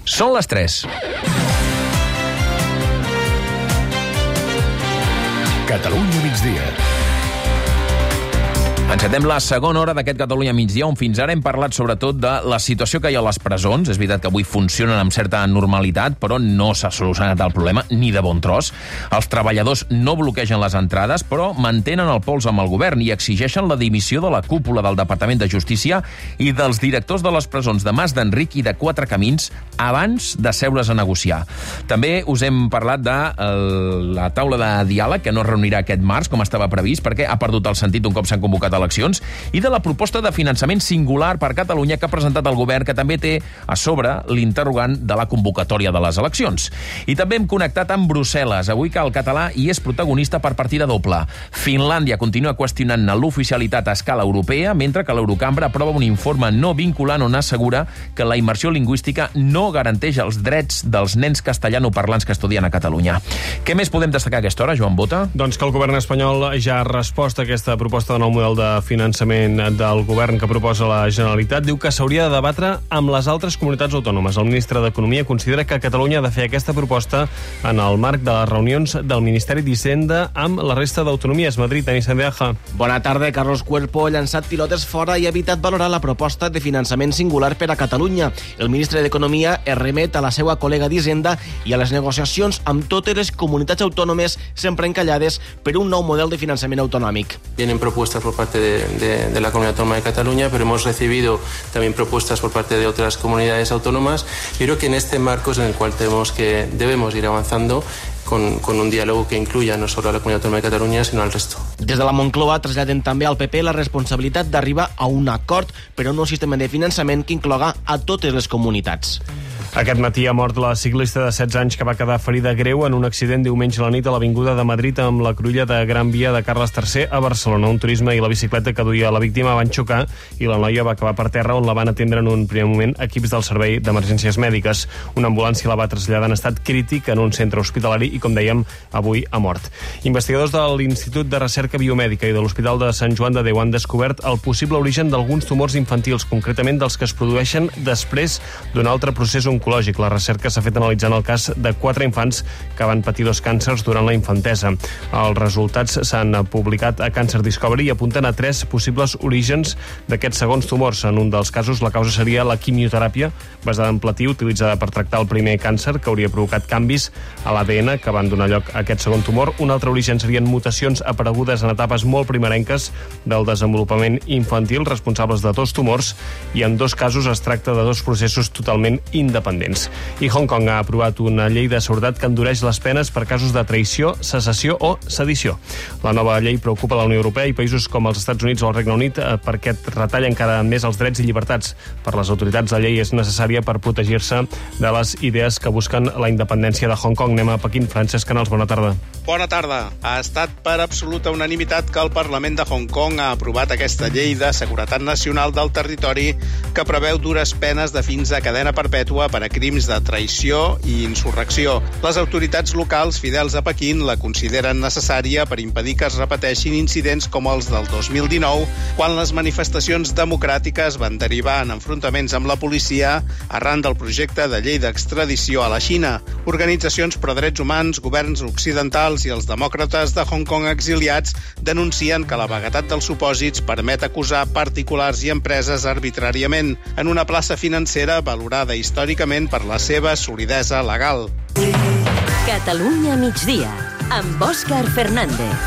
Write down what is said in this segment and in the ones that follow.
Són les 3. Catalunya migdia. Encetem la segona hora d'aquest Catalunya migdia, on fins ara hem parlat sobretot de la situació que hi ha a les presons. És veritat que avui funcionen amb certa normalitat, però no s'ha solucionat el problema ni de bon tros. Els treballadors no bloquegen les entrades, però mantenen el pols amb el govern i exigeixen la dimissió de la cúpula del Departament de Justícia i dels directors de les presons de Mas d'Enric i de Quatre Camins abans de seure's a negociar. També us hem parlat de la taula de diàleg, que no es reunirà aquest març, com estava previst, perquè ha perdut el sentit un cop s'han convocat eleccions, i de la proposta de finançament singular per Catalunya que ha presentat el govern, que també té a sobre l'interrogant de la convocatòria de les eleccions. I també hem connectat amb Brussel·les. Avui que el català hi és protagonista per partida doble. Finlàndia continua qüestionant l'oficialitat a escala europea, mentre que l'Eurocambra aprova un informe no vinculant on assegura que la immersió lingüística no garanteix els drets dels nens castellanoparlants que estudien a Catalunya. Què més podem destacar a aquesta hora, Joan Bota? Doncs que el govern espanyol ja ha respost a aquesta proposta de nou model de finançament del govern que proposa la Generalitat. Diu que s'hauria de debatre amb les altres comunitats autònomes. El ministre d'Economia considera que Catalunya ha de fer aquesta proposta en el marc de les reunions del Ministeri d'Hisenda amb la resta d'autonomies. Madrid, Anis Sandeaja. Bona tarda. Carlos Cuerpo ha llançat pilotes fora i ha evitat valorar la proposta de finançament singular per a Catalunya. El ministre d'Economia es remet a la seva col·lega d'Hisenda i a les negociacions amb totes les comunitats autònomes sempre encallades per un nou model de finançament autonòmic. Vienen propuestas por parte de la Comunidad Autónoma de Cataluña, pero hemos recibido también propuestas por parte de otras comunidades autónomas. Yo creo que en este marco es en el cual debemos ir avanzando con un diálogo que incluya no solo a la Comunidad Autónoma de Catalunya, sinó al resto. Des de la Moncloa traslladen també al PP la responsabilitat d'arribar a un acord per a un nou sistema de finançament que incloga a totes les comunitats. Aquest matí ha mort la ciclista de 16 anys que va quedar ferida greu en un accident diumenge a la nit a l'Avinguda de Madrid amb la cruïlla de Gran Via de Carles III a Barcelona. Un turisme i la bicicleta que duia la víctima van xocar i la noia va acabar per terra, on la van atendre en un primer moment equips del Servei d'Emergències Mèdiques. Una ambulància la va traslladar en estat crític en un centre hospitalari i, com dèiem, avui ha mort. Investigadors de l'Institut de Recerca Biomèdica i de l'Hospital de Sant Joan de Déu han descobert el possible origen d'alguns tumors infantils, concretament dels que es produeixen després d'un altre procés oncològic. La recerca s'ha fet analitzant el cas de 4 infants que van patir 2 càncers durant la infantesa. Els resultats s'han publicat a Cancer Discovery i apunten a 3 possibles orígens d'aquests segons tumors. En un dels casos, la causa seria la quimioteràpia basada en platí utilitzada per tractar el primer càncer, que hauria provocat canvis a l'ADN que van donar lloc a aquest segon tumor. Un altre origen serien mutacions aparegudes en etapes molt primerenques del desenvolupament infantil, responsables de 2 tumors, i en 2 casos es tracta de 2 processos totalment independents. I Hong Kong ha aprovat una llei de seguretat que endureix les penes per casos de traïció, secessió o sedició. La nova llei preocupa la Unió Europea i països com els Estats Units o el Regne Unit perquè retalla encara més els drets i llibertats. Per les autoritats, la llei és necessària per protegir-se de les idees que busquen la independència de Hong Kong. Anem a Pequín. Francesc Canals, bona tarda. Bona tarda. Ha estat per absoluta unanimitat que el Parlament de Hong Kong ha aprovat aquesta llei de seguretat nacional del territori que preveu dures penes de fins a cadena perpètua per a crims de traïció i insurrecció. Les autoritats locals fidels a Pequín la consideren necessària per impedir que es repeteixin incidents com els del 2019, quan les manifestacions democràtiques van derivar en enfrontaments amb la policia arran del projecte de llei d'extradició a la Xina. Organitzacions pro drets humans, governs occidentals i els demòcrates de Hong Kong exiliats denuncien que la vaguetat dels supòsits permet acusar particulars i empreses arbitràriament en una plaça financera valorada històricament per la seva solidesa legal. Catalunya migdia, amb Òscar Fernández.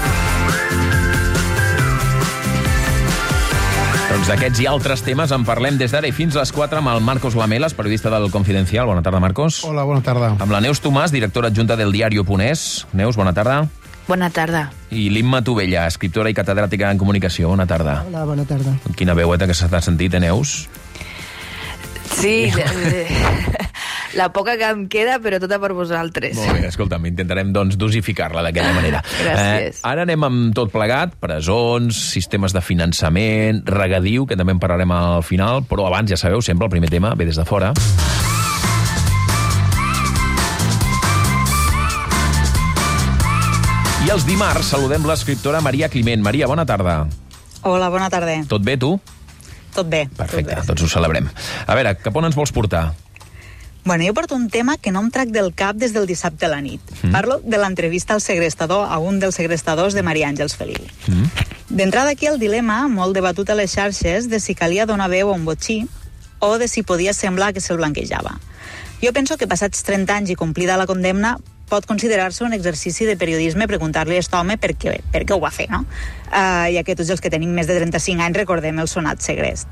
Doncs d'aquests i altres temes en parlem des d'ara i fins a les 4 amb el Marcos Lamelas, periodista del Confidencial. Bona tarda, Marcos. Hola, bona tarda. Amb la Neus Tomàs, directora adjunta del Diario.es. Neus, bona tarda. Bona tarda. I l'Imma Tovella, escriptora i catedràtica en comunicació. Bona tarda. Hola, bona tarda. Quina veueta que s'ha sentit, Neus? Sí, la poca que em queda, però tota per vosaltres. Molt bé, escolta'm, intentarem doncs dosificar-la d'aquella manera. Gràcies. Ara anem amb tot plegat, presons, sistemes de finançament, regadiu, que també en parlarem al final, però abans, ja sabeu, sempre el primer tema ve des de fora. I els dimarts saludem l'escriptora Maria Climent. Maria, bona tarda. Hola, bona tarda. Tot bé, tu? Tot bé. Perfecte, tots ho celebrem. A veure, cap on ens vols portar? Bueno, jo porto un tema que no em trac del cap des del dissabte a la nit. Parlo de l'entrevista al segrestador, a un dels segrestadors de Maria Àngels Feliu. D'entrada aquí el dilema, molt debatut a les xarxes, de si calia donar veu a un botxí o de si podia semblar que se'l blanquejava. Jo penso que passats 30 anys i complida la condemna pot considerar-se un exercici de periodisme preguntar-li a aquest home per què ho va fer, no? Ja que tots els que tenim més de 35 anys recordem el sonat segrest.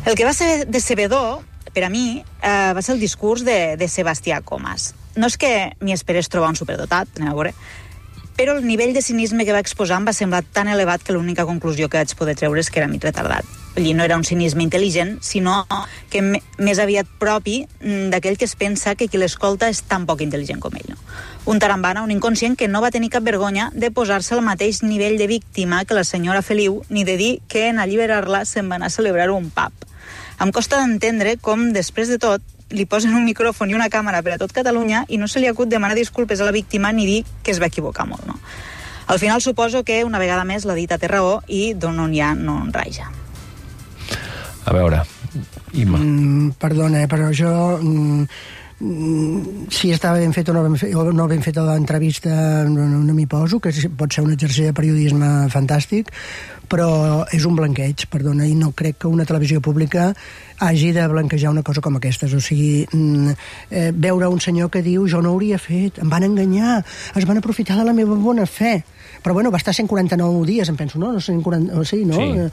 El que va ser decebedor, per a mi, va ser el discurs de Sebastià Comas. No és que m'hi esperés trobar un superdotat, anem a veure, però el nivell de cinisme que va exposar em va semblar tan elevat que l'única conclusió que vaig poder treure és que era mig retardat. Vull dir, no era un cinisme intel·ligent, sinó que més aviat propi d'aquell que es pensa que qui l'escolta és tan poc intel·ligent com ell. No? Un tarambana, un inconscient que no va tenir cap vergonya de posar-se al mateix nivell de víctima que la senyora Feliu, ni de dir que en alliberar-la se'n va anar a celebrar un pub. Em costa d'entendre com, després de tot, li posen un micròfon i una càmera per a tot Catalunya i no se li acut demanar disculpes a la víctima ni dir que es va equivocar molt, no? Al final suposo que una vegada més la dita té raó i d'on no hi ha no en raja. A veure, Imma. Perdona, però jo... si estava ben fet o no ben feta l'entrevista no m'hi poso, que pot ser un exercici de periodisme fantàstic, però és un blanqueig, perdona, i no crec que una televisió pública hagi de blanquejar una cosa com aquestes. O sigui, veure un senyor que diu jo no hauria fet, em van enganyar, es van aprofitar de la meva bona fe. Però bueno, va estar 149 dies, em penso, no? 140, sí, no? Sí.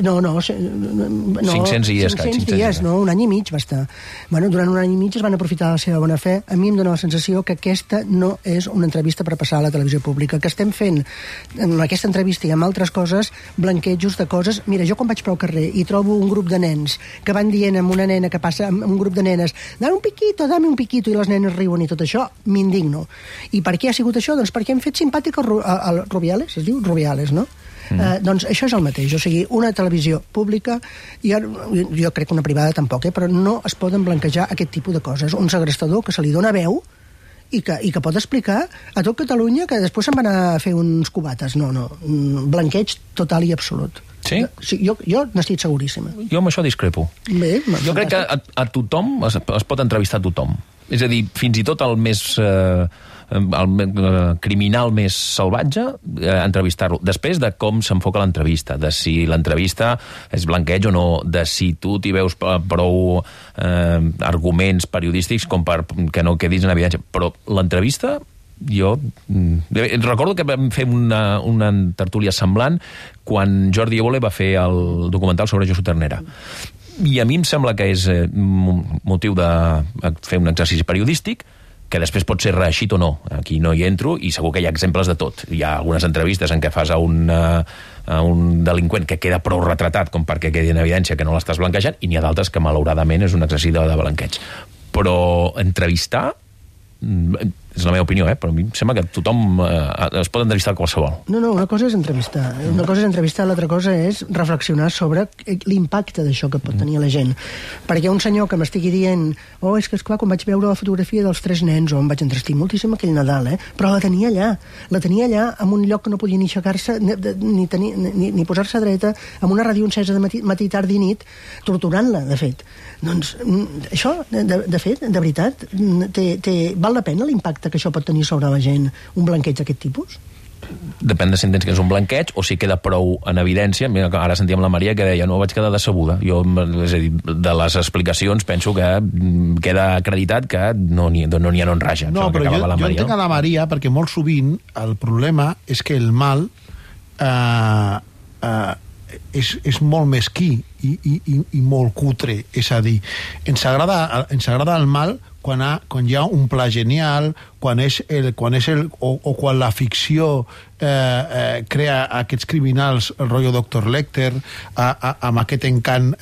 No, 500 dies, 500 dies, no, un any i mig va estar. Bueno, durant un any i mig es van aprofitar de la seva bona fe. A mi em dóna la sensació que aquesta no és una entrevista per passar a la televisió pública, que estem fent en aquesta entrevista i amb altres coses blanquejos de coses. Mira, jo quan vaig pel carrer i trobo un grup de nens que van dient amb una nena que passa amb un grup de nenes dame un piquito, i les nenes riuen i tot això, m'indigno. I per què ha sigut això? Doncs perquè hem fet simpàtic al Rubiales, es diu Rubiales, no? Doncs això és el mateix, o sigui, una televisió pública, jo crec que una privada tampoc, però no es poden blanquejar aquest tipus de coses. Un segrestador que se li dona veu i que pot explicar a tot Catalunya que després se'n van a fer uns cubates. No, blanqueig total i absolut. Sí? Jo n'estic seguríssima. Jo amb això discrepo. Bé, jo crec que a tothom es pot entrevistar a tothom. És a dir, fins i tot el més... el criminal més salvatge, entrevistar-lo. Després de com s'enfoca l'entrevista, de si l'entrevista és blanqueig o no, de si tu t'hi veus prou arguments periodístics com per que no quedis en evidència. Però l'entrevista, jo recordo que vam fer una tertúlia semblant quan Jordi Évole va fer el documental sobre Josu Ternera. I a mi em sembla que és motiu de fer un exercici periodístic que després pot ser reeixit o no. Aquí no hi entro i segur que hi ha exemples de tot. Hi ha algunes entrevistes en què fas a un delinqüent que queda prou retratat com perquè quedi en evidència que no l'estàs blanquejant, i n'hi ha d'altres que malauradament és un exercici de blanqueig. Però entrevistar és la meva opinió, però a mi em sembla que tothom es pot entrevistar qualsevol. No, una cosa és entrevistar. Una cosa és entrevistar, l'altra cosa és reflexionar sobre l'impacte d'això que pot tenir a la gent. Perquè un senyor que m'estigui dient és que esclar, quan vaig veure la fotografia dels 3 nens, em vaig entrestir moltíssim aquell Nadal, però la tenia allà en un lloc que no podia ni aixecar-se ni posar-se dreta, amb una ràdio encesa de matí, tard i nit, torturant-la, de fet. Doncs això, de fet, de veritat, val la pena l'impacte que això pot tenir sobre la gent, un blanqueig d'aquest tipus? Depèn de si entens que és un blanqueig o si queda prou en evidència. Mira, ara sentíem la Maria que deia no vaig quedar decebuda. Jo, és a dir, de les explicacions penso que queda acreditat que no n'hi ha no en raja. No, però jo entenc a la Maria perquè molt sovint el problema és que el mal és molt mesquí i molt cutre. És a dir, ens agrada el mal quan hi ha un pla genial, quan la ficció crea aquests criminals rotllo Dr. Lecter amb aquest encant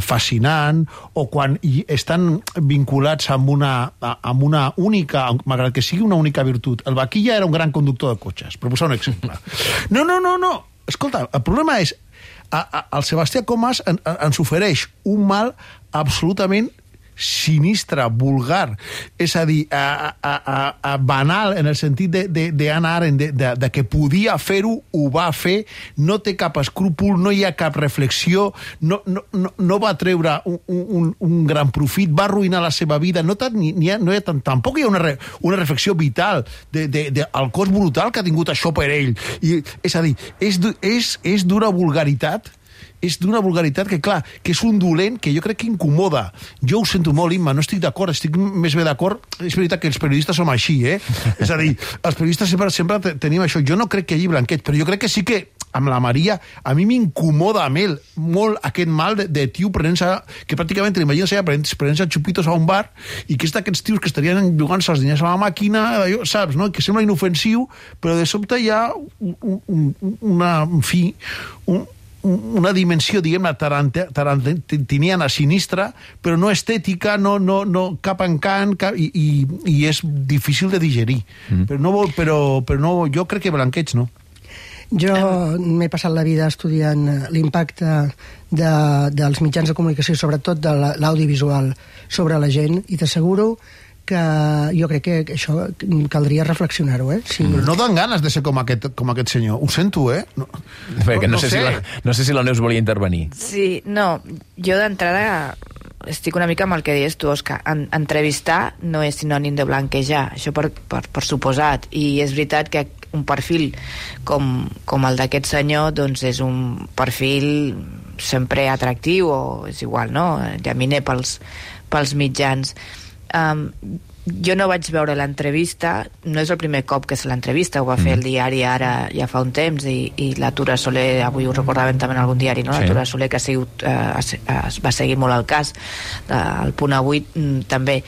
fascinant, o quan estan vinculats amb una única, malgrat que sigui una única virtut. El Vaquilla era un gran conductor de cotxes, per posar un exemple. No. Escolta, el problema és el Sebastià Comas ens ofereix un mal absolutament sinistra, vulgar, és a dir, banal, en el sentit d'Hannah Arendt, de que podia fer-ho, ho va fer, no té cap escrúpol, no hi ha cap reflexió, no va treure un gran profit, va arruïnar la seva vida, tampoc hi ha una reflexió vital del cost brutal que ha tingut això per ell. És a dir, és d'una vulgaritat, que, clar, que és un dolent que jo crec que incomoda. Jo ho sento molt, Imma, no estic d'acord, estic més bé d'acord. És veritat que els periodistes som així, És a dir, els periodistes sempre tenim això. Jo no crec que hi hagi blanqueig, però jo crec que sí que amb la Maria, a mi m'incomoda molt aquest mal de tio que pràcticament l'imagines prenent-se xupitos a un bar i que és d'aquests tios que estarien jugant-se els diners a la màquina, saps, no? Que sembla inofensiu, però de sobte hi ha una dimensió, diguem-ne, tarantiniana, sinistra, però no estètica, no cap encant, i és difícil de digerir. Però no, jo crec que blanqueig no. Jo m'he passat la vida estudiant l'impacte dels mitjans de comunicació, sobretot de l'audiovisual, sobre la gent, i t'asseguro que jo crec que això caldria reflexionar-ho, Sí. Però no dan ganes de ser com aquest senyor. Ho sento, No sé si la Neus volia intervenir. Sí, no, jo d'entrada estic una mica amb el que deies tu, Òscar. Entrevistar no és sinònim de blanquejar, això per suposat, i és veritat que un perfil com el d'aquest senyor doncs és un perfil sempre atractiu, o és igual, no? Llaminer pels mitjans. Jo no vaig veure l'entrevista, no és el primer cop que és l'entrevista, ho va fer el diari Ara ja fa un temps, i la Tura Soler, avui ho recordaven també en algun diari, no? La Tura Soler, que es va seguir molt el cas, el Punt Avui també.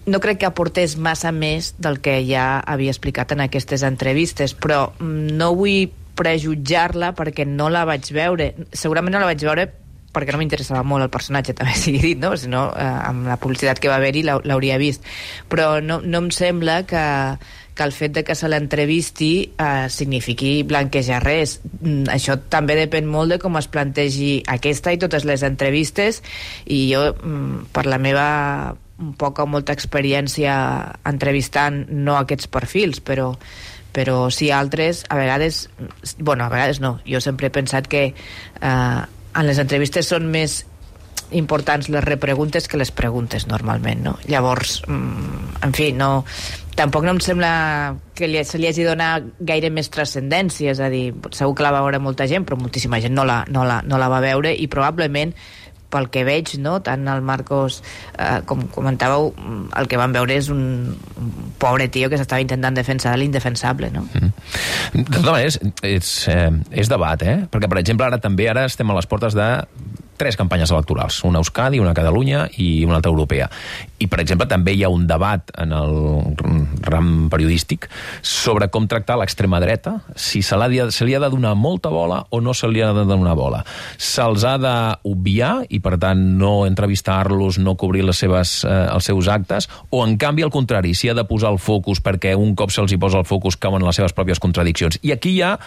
No crec que aportés massa més del que ja havia explicat en aquestes entrevistes, però no vull prejutjar-la perquè no la vaig veure. Segurament no la vaig veure perquè no m'interessava molt el personatge, també sigui dit, no? Si no, amb la publicitat que va haver-hi l'hauria vist. Però no em sembla que el fet de que se l'entrevisti signifiqui blanquejar res. Això també depèn molt de com es plantegi aquesta i totes les entrevistes, i jo, per la meva poca o molta experiència entrevistant, no aquests perfils, però sí altres, a vegades no, jo sempre he pensat que en les entrevistes són més importants les repreguntes que les preguntes normalment, no? Llavors, en fi, tampoc no em sembla que se li hagi donat gaire més transcendència, és a dir, segur que la va veure molta gent, però moltíssima gent no la va veure, i probablement pel que veig, no? Tant el Marcos, com comentàveu, el que van veure és un pobre tio que s'estava intentant defensar de l'indefensable, no? De totes maneres, és debat, perquè, per exemple, ara estem a les portes de 3 campanyes electorals, una a Euskadi, una a Catalunya i una altra europea. I, per exemple, també hi ha un debat en el ram periodístic sobre com tractar l'extrema dreta, si se li ha de donar molta bola o no se li ha de donar bola. Se'ls ha d'obviar i, per tant, no entrevistar-los, no cobrir els seus actes, o, en canvi, al contrari, s'hi ha de posar el focus perquè un cop se'ls hi posa el focus cauen en les seves pròpies contradiccions. I aquí hi ha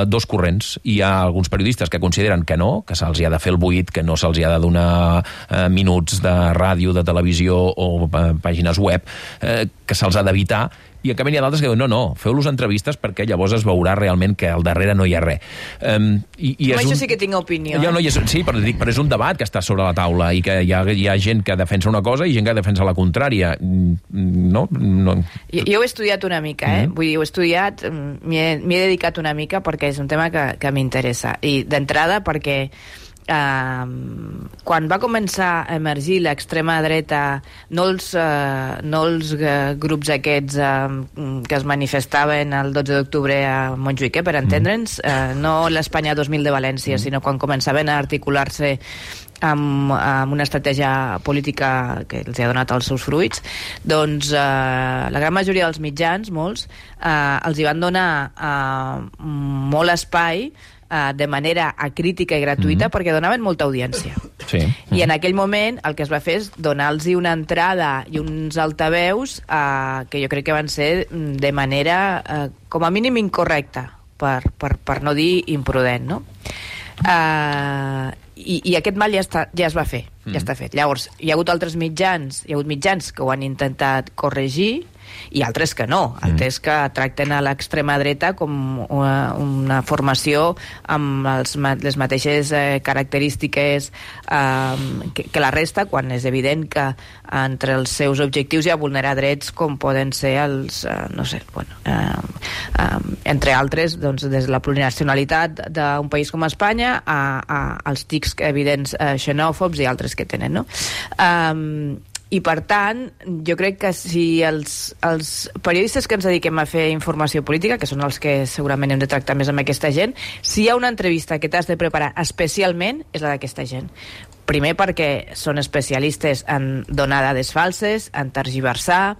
2 corrents. Hi ha alguns periodistes que consideren que no, que se'ls hi ha de fer el buit, que no se'ls hi ha de donar minuts de ràdio, de televisió o pàgines web, que se'ls ha d'evitar, i en canvi hi ha d'altres que diuen no, feu-los entrevistes perquè llavors es veurà realment que al darrere no hi ha res. Això sí que tinc opinió. Sí, però és un debat que està sobre la taula i que hi ha gent que defensa una cosa i gent que defensa la contrària. No? Jo ho he estudiat una mica, vull dir, ho he estudiat, m'hi he dedicat una mica perquè és un tema que m'interessa. I d'entrada perquè quan va començar a emergir l'extrema dreta, no els grups aquests que es manifestaven el 12 d'octubre a Montjuïc, per entendre'ns, no l'Espanya 2000 de València, sinó quan començaven a articular-se amb una estratègia política que els ha donat els seus fruits, doncs la gran majoria dels mitjans, molts, els hi van donar molt espai de manera acrítica i gratuïta perquè donaven molta audiència. Sí. I en aquell moment el que es va fer és donar-los una entrada i uns altaveus que jo crec que van ser de manera com a mínim incorrecta, per no dir imprudent, no? I aquest mal ja es va fer. Ja està fet. Llavors, hi ha hagut mitjans que ho han intentat corregir i altres que no, altres que tracten a l'extrema dreta com una formació amb les mateixes característiques que la resta, quan és evident que entre els seus objectius hi ha vulnerar drets com poden ser els, entre altres, doncs, des de la plurinacionalitat d'un país com Espanya als tics evidents xenòfobs i altres que tenen, no? I, per tant, jo crec que si els periodistes que ens dediquem a fer informació política, que són els que segurament hem de tractar més amb aquesta gent, si hi ha una entrevista que t'has de preparar especialment, és la d'aquesta gent. Primer perquè són especialistes en donar dades falses, en tergiversar,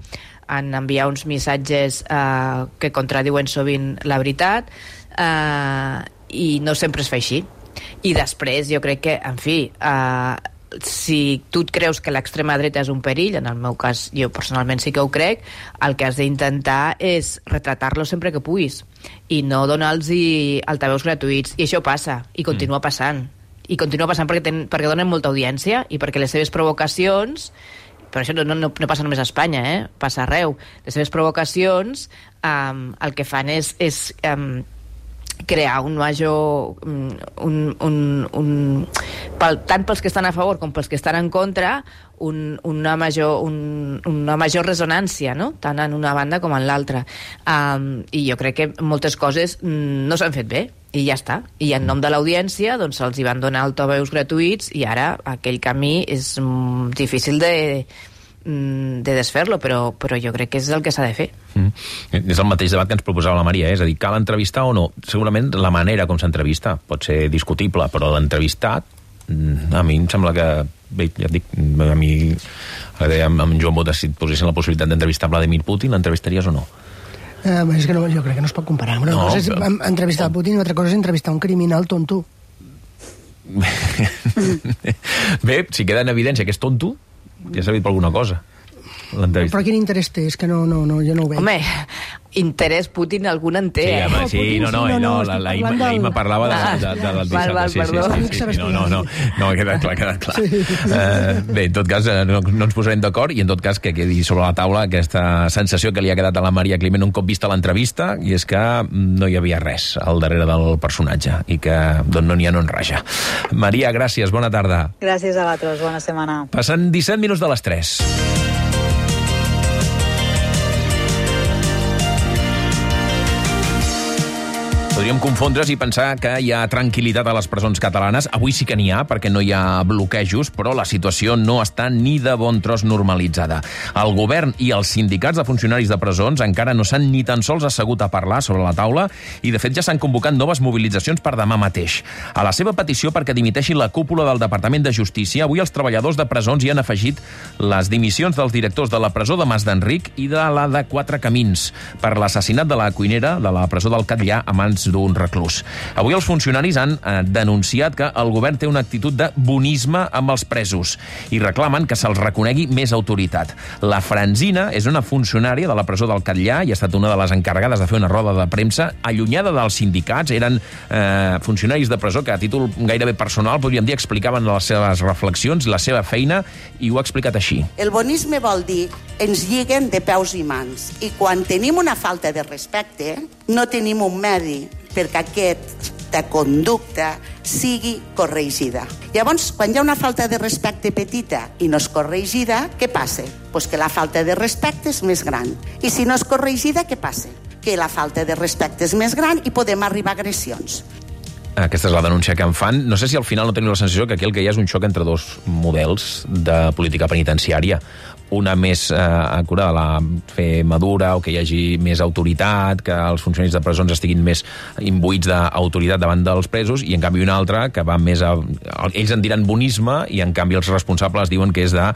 en enviar uns missatges que contradiuen sovint la veritat, i no sempre es fa així. I després, jo crec que, en fi, si tu et creus que l'extrema dreta és un perill, en el meu cas jo personalment sí que ho crec, el que has d'intentar és retratar-lo sempre que puguis i no donar-los altaveus gratuïts, i això passa, i continua passant perquè donen molta audiència i perquè les seves provocacions, però això no passa només a Espanya, passa arreu, les seves provocacions el que fan és crear un major tant pels que estan a favor com pels que estan en contra una major resonància, no? Tant en una banda com en l'altra, i jo crec que moltes coses no s'han fet bé i ja està, i en nom de l'audiència doncs se'ls hi van donar altaveus gratuïts i ara aquell camí és difícil de desfer-lo, però jo crec que és el que s'ha de fer. És el mateix debat que ens proposava la Maria, és a dir, cal entrevistar o no? Segurament la manera com s'entrevista pot ser discutible, però l'entrevistat a mi em sembla que, bé, ja et dic, a mi amb Joan Bota, si et posessin la possibilitat d'entrevistar Vladimir Putin, l'entrevistaries o no? És que jo crec que no es pot comparar. Una cosa és entrevistar Putin i una altra cosa és entrevistar un criminal tonto. Bé, si queda en evidència que és tonto, ja s'ha dit per alguna cosa. Però quin interès té? És que no, jo no ho veig. Home, interès Putin algun en té, ahir me parlava del dissabte. No, ha quedat clar. Bé, en tot cas, no ens posarem d'acord, i en tot cas que quedi sobre la taula aquesta sensació que li ha quedat a la Maria Climent un cop vista l'entrevista, i és que no hi havia res al darrere del personatge i que no n'hi ha no en raja. Maria, gràcies, bona tarda. Gràcies a vosaltres, bona setmana. Passen 17 minuts de les 3. Podríem confondre's i pensar que hi ha tranquil·litat a les presons catalanes. Avui sí que n'hi ha, perquè no hi ha bloquejos, però la situació no està ni de bon tros normalitzada. El govern i els sindicats de funcionaris de presons encara no s'han ni tan sols assegut a parlar sobre la taula, i de fet ja s'han convocat noves mobilitzacions per demà mateix. A la seva petició perquè dimiteixi la cúpula del Departament de Justícia, avui els treballadors de presons hi han afegit les dimissions dels directors de la presó de Mas d'Enric i de la de Quatre Camins per l'assassinat de la cuinera de la presó del Catllar a mans d'un reclús. Avui els funcionaris han denunciat que el govern té una actitud de bonisme amb els presos i reclamen que se'ls reconegui més autoritat. La Franzina és una funcionària de la presó del Catllar i ha estat una de les encarregades de fer una roda de premsa allunyada dels sindicats. Eren funcionaris de presó que a títol gairebé personal, podríem dir, explicaven les seves reflexions, la seva feina, i ho ha explicat així. El bonisme vol dir ens lliguen de peus i mans, i quan tenim una falta de respecte no tenim un medi perquè aquesta conducta sigui corregida. Llavors, quan hi ha una falta de respecte petita i no és corregida, què passa? Pues que la falta de respecte és més gran. I si no és corregida, què passa? Que la falta de respecte és més gran i podem arribar a agressions. Aquesta és la denúncia que en fan. No sé si al final no teniu la sensació que aquí el que hi ha és un xoc entre dos models de política penitenciària. Una més acurada, la fer madura, o que hi hagi més autoritat, que els funcionaris de presons estiguin més imbuïts d'autoritat davant dels presos, i en canvi una altra que va més a... Ells en diran bonisme, i en canvi els responsables diuen que és de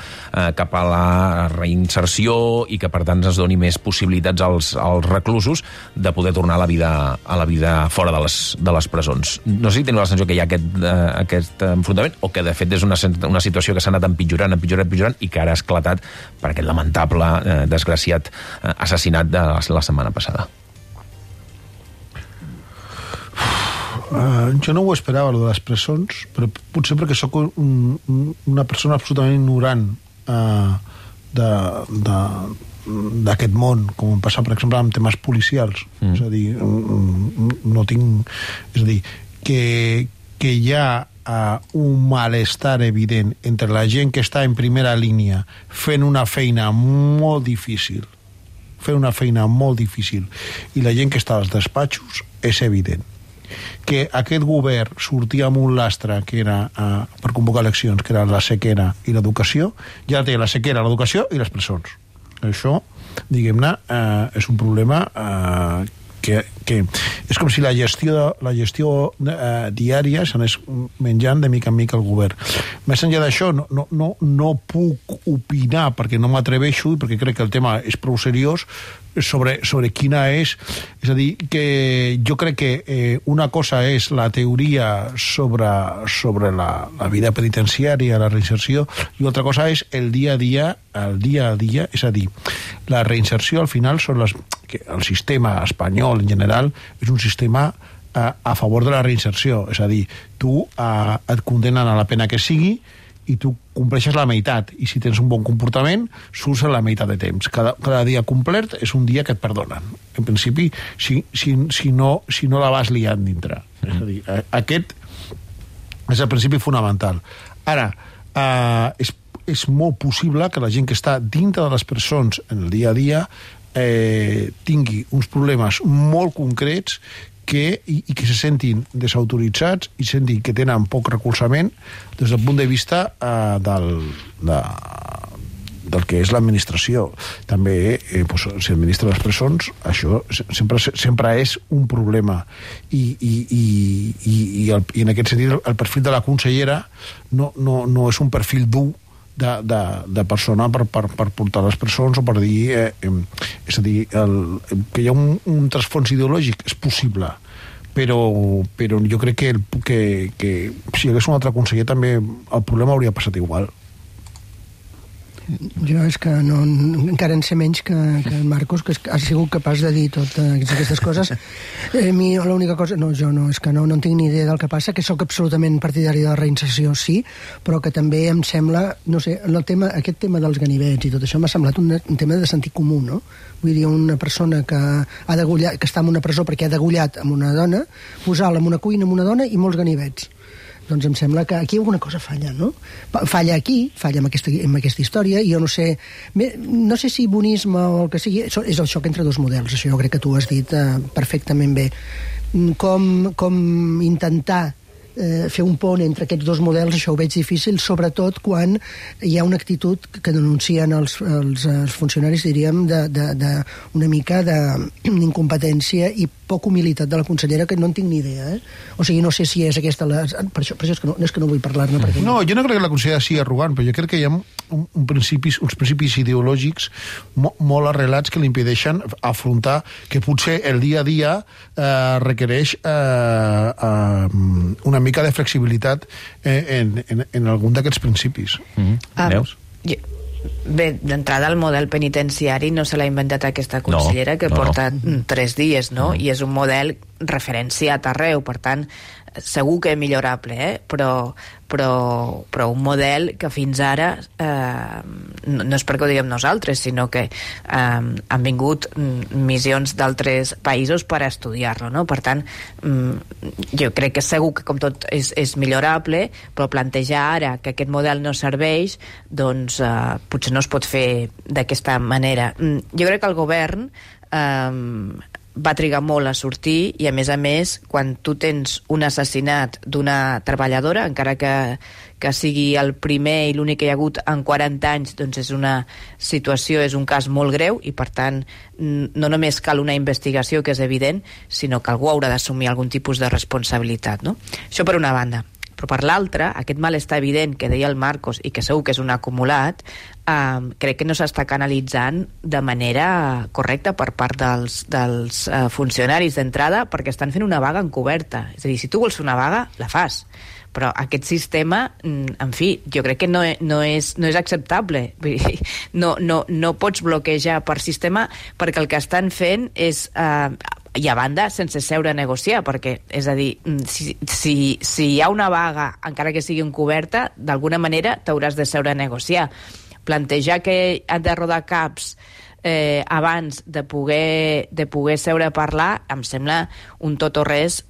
cap a la reinserció, i que per tant es doni més possibilitats als reclusos de poder tornar a la vida fora de les presons. No sé si teniu la sensació que hi ha aquest enfrontament, o que de fet és una situació que s'ha anat empitjorant, i que ara ha esclatat per aquest lamentable, desgraciat assassinat de la setmana passada. Jo no ho esperava, lo de les presons, però potser perquè sóc una persona absolutament ignorant d'aquest món, com em passa, per exemple, amb temes policials. És a dir, no tinc... És a dir, que hi ha un malestar evident entre la gent que està en primera línia fent una feina molt difícil i la gent que està als despatxos, és evident que aquest govern sortia amb un lastre que era per convocar eleccions, que era la sequera i l'educació. Ja té la sequera, l'educació i les presons. Això, diguem-ne, és un problema que és com si la gestió diària s'anés menjant de mica en mica el govern. Més enllà d'això, no puc opinar, perquè no m'atreveixo i perquè crec que el tema és prou seriós, sobre quina és a dir, que jo crec que una cosa és la teoria sobre la vida penitenciària, la reinserció, i altra cosa és el dia a dia, és a dir, la reinserció al final són que el sistema espanyol en general és un sistema a favor de la reinserció, és a dir, tu et condenen a la pena que sigui i tu compleixes la meitat, i si tens un bon comportament surts a la meitat de temps. Cada dia complet és un dia que et perdonen, en principi, si no la vas liant dintre. És a dir, aquest és el principi fonamental. Ara, és molt possible que la gent que està dintre de les presons en el dia a dia tingui uns problemes molt concrets i que se sentin desautoritzats i sentin que tenen poc recolzament des del punt de vista del que és l'administració. També, si administra les presons, això sempre és un problema. I en aquest sentit, el perfil de la consellera no és un perfil dur de persona per portar les presons o per dir... és a dir, que hi ha un trasfons ideològic és possible, però jo crec que si hi hagués un altre conseller també el problema hauria passat igual. Jo és que encara en sé menys que en Marcos, que ha sigut capaç de dir totes aquestes coses. A mi l'única cosa... Jo és que no en tinc ni idea del que passa, que sóc absolutament partidari de la reinserció, sí, però que també em sembla, no sé, aquest tema dels ganivets i tot això m'ha semblat un tema de sentit comú, no? Vull dir, una persona que està en una presó perquè ha degullat amb una dona, posar-la en una cuina amb una dona i molts ganivets. Doncs em sembla que aquí alguna cosa falla, no? Falla aquí, falla amb aquesta història, i jo no sé si bonisme o el que sigui, és el xoc entre dos models, això jo crec que tu has dit perfectament bé. Com intentar fer un pont entre aquests dos models, això ho veig difícil, sobretot quan hi ha una actitud que denuncien els funcionaris, diríem, una mica d'incompetència i poca humilitat de la consellera, que no en tinc ni idea. O sigui, no sé si és aquesta... Per això és que no vull parlar-ne. No, jo no crec que la consellera sigui arrogant, però jo crec que hi ha uns principis ideològics molt arrelats que li impedeixen afrontar que potser el dia a dia requereix una mica de flexibilitat en algun d'aquests principis. Veus? Bé, d'entrada el model penitenciari no se l'ha inventat aquesta consellera, que porta 3 dies, no? I és un model referenciat arreu, per tant segur que és millorable, però un model que fins ara no és perquè ho diguem nosaltres, sinó que han vingut missions d'altres països per estudiar-lo, no? Per tant, jo crec que segur que com tot és millorable, però plantejar ara que aquest model no serveix, doncs potser no es pot fer d'aquesta manera. Jo crec que el govern va trigar molt a sortir, i a més, quan tu tens un assassinat d'una treballadora, encara que sigui el primer i l'únic que hi ha hagut en 40 anys, doncs és una situació, és un cas molt greu, i per tant no només cal una investigació, que és evident, sinó que algú haurà d'assumir algun tipus de responsabilitat, no? Això per una banda. Però per l'altra, aquest malestar evident que deia el Marcos, i que segur que és un acumulat, crec que no s'està canalitzant de manera correcta per part dels funcionaris d'entrada, perquè estan fent una vaga encoberta. És a dir, si tu vols fer una vaga, la fas. Però aquest sistema, en fi, jo crec que no és acceptable. No pots bloquejar per sistema, perquè el que estan fent és I a banda, sense seure a negociar, perquè, és a dir, si hi ha una vaga, encara que sigui encoberta, d'alguna manera t'hauràs de seure a negociar. Plantejar que han de rodar caps abans de poder seure a parlar em sembla un tot o res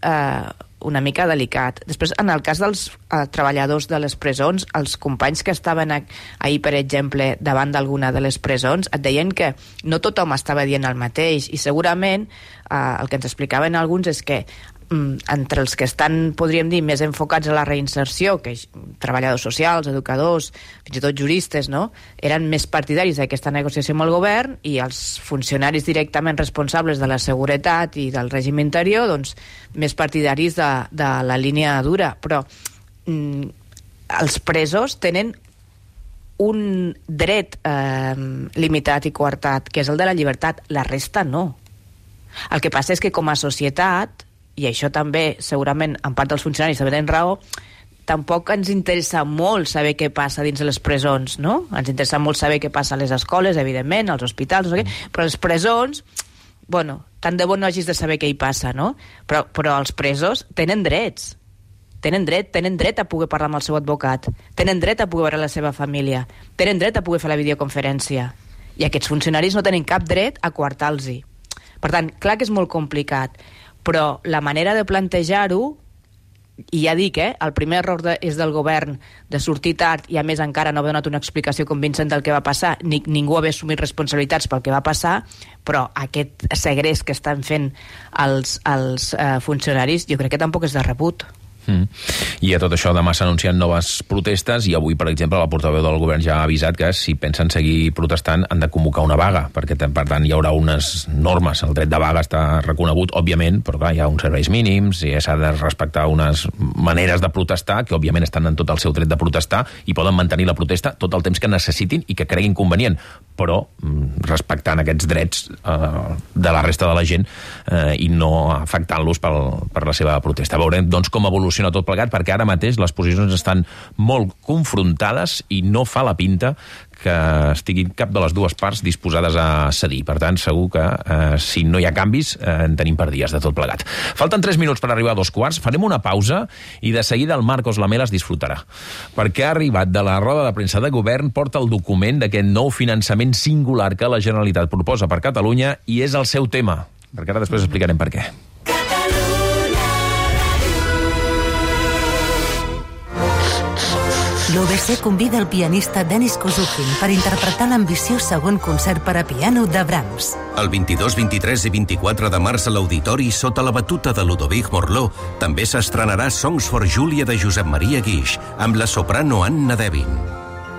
una mica delicat. Després, en el cas dels treballadors de les presons, els companys que estaven ahir, per exemple, davant d'alguna de les presons, et deien que no tothom estava dient el mateix, i segurament el que ens explicaven alguns és que entre els que estan, podríem dir, més enfocats a la reinserció, que treballadors socials, educadors, fins i tot juristes, no?, eren més partidaris d'aquesta negociació amb el govern, i els funcionaris directament responsables de la seguretat i del règim interior, doncs, més partidaris de la línia dura. Però els presos tenen un dret limitat i coartat, que és el de la llibertat. La resta no. El que passa és que com a societat, i això també, segurament, en part dels funcionaris també tenen raó, tampoc ens interessa molt saber què passa dins de les presons, no? Ens interessa molt saber què passa a les escoles, evidentment, als hospitals, no sé què, però les presons, bueno, tant de bo no hagis de saber què hi passa, no? Però els presos tenen drets. Tenen dret a poder parlar amb el seu advocat, tenen dret a poder veure la seva família, tenen dret a poder fer la videoconferència. I aquests funcionaris no tenen cap dret a coartar-los-hi. Per tant, clar que és molt complicat, però la manera de plantejar-ho, i ja dic, el primer error és del govern de sortir tard i a més encara no haver donat una explicació convincent del que va passar, ni ningú haver assumit responsabilitats pel que va passar, però aquest segrest que estan fent els funcionaris jo crec que tampoc és de rebut. I a tot això demà s'anuncien noves protestes i avui, per exemple, la portaveu del govern ja ha avisat que si pensen seguir protestant han de convocar una vaga, perquè per tant hi haurà unes normes. El dret de vaga està reconegut, òbviament, però clar, hi ha uns serveis mínims i s'ha de respectar unes maneres de protestar que òbviament estan en tot el seu dret de protestar i poden mantenir la protesta tot el temps que necessitin i que creguin convenient, però respectant aquests drets de la resta de la gent i no afectant-los per la seva protesta. Veurem doncs com evoluciona tot plegat, perquè ara mateix les posicions estan molt confrontades i no fa la pinta que estiguin cap de les dues parts disposades a cedir. Per tant, segur que si no hi ha canvis en tenim per dies de tot plegat. Falten 3 minuts per arribar a 2:15, farem una pausa i de seguida el Marcos Lamelas disfrutarà, perquè ha arribat de la roda de premsa de govern, porta el document d'aquest nou finançament singular que la Generalitat proposa per Catalunya i és el seu tema, perquè ara després explicarem per què. L'UBC convida el pianista Denis Kozukin per interpretar l'ambiciós segon concert per a piano de Brahms. El 22, 23 i 24 de març a l'Auditori, sota la batuta de Ludovic Morló, també s'estrenarà Songs for Julia de Josep Maria Guix, amb la soprano Anna Devin.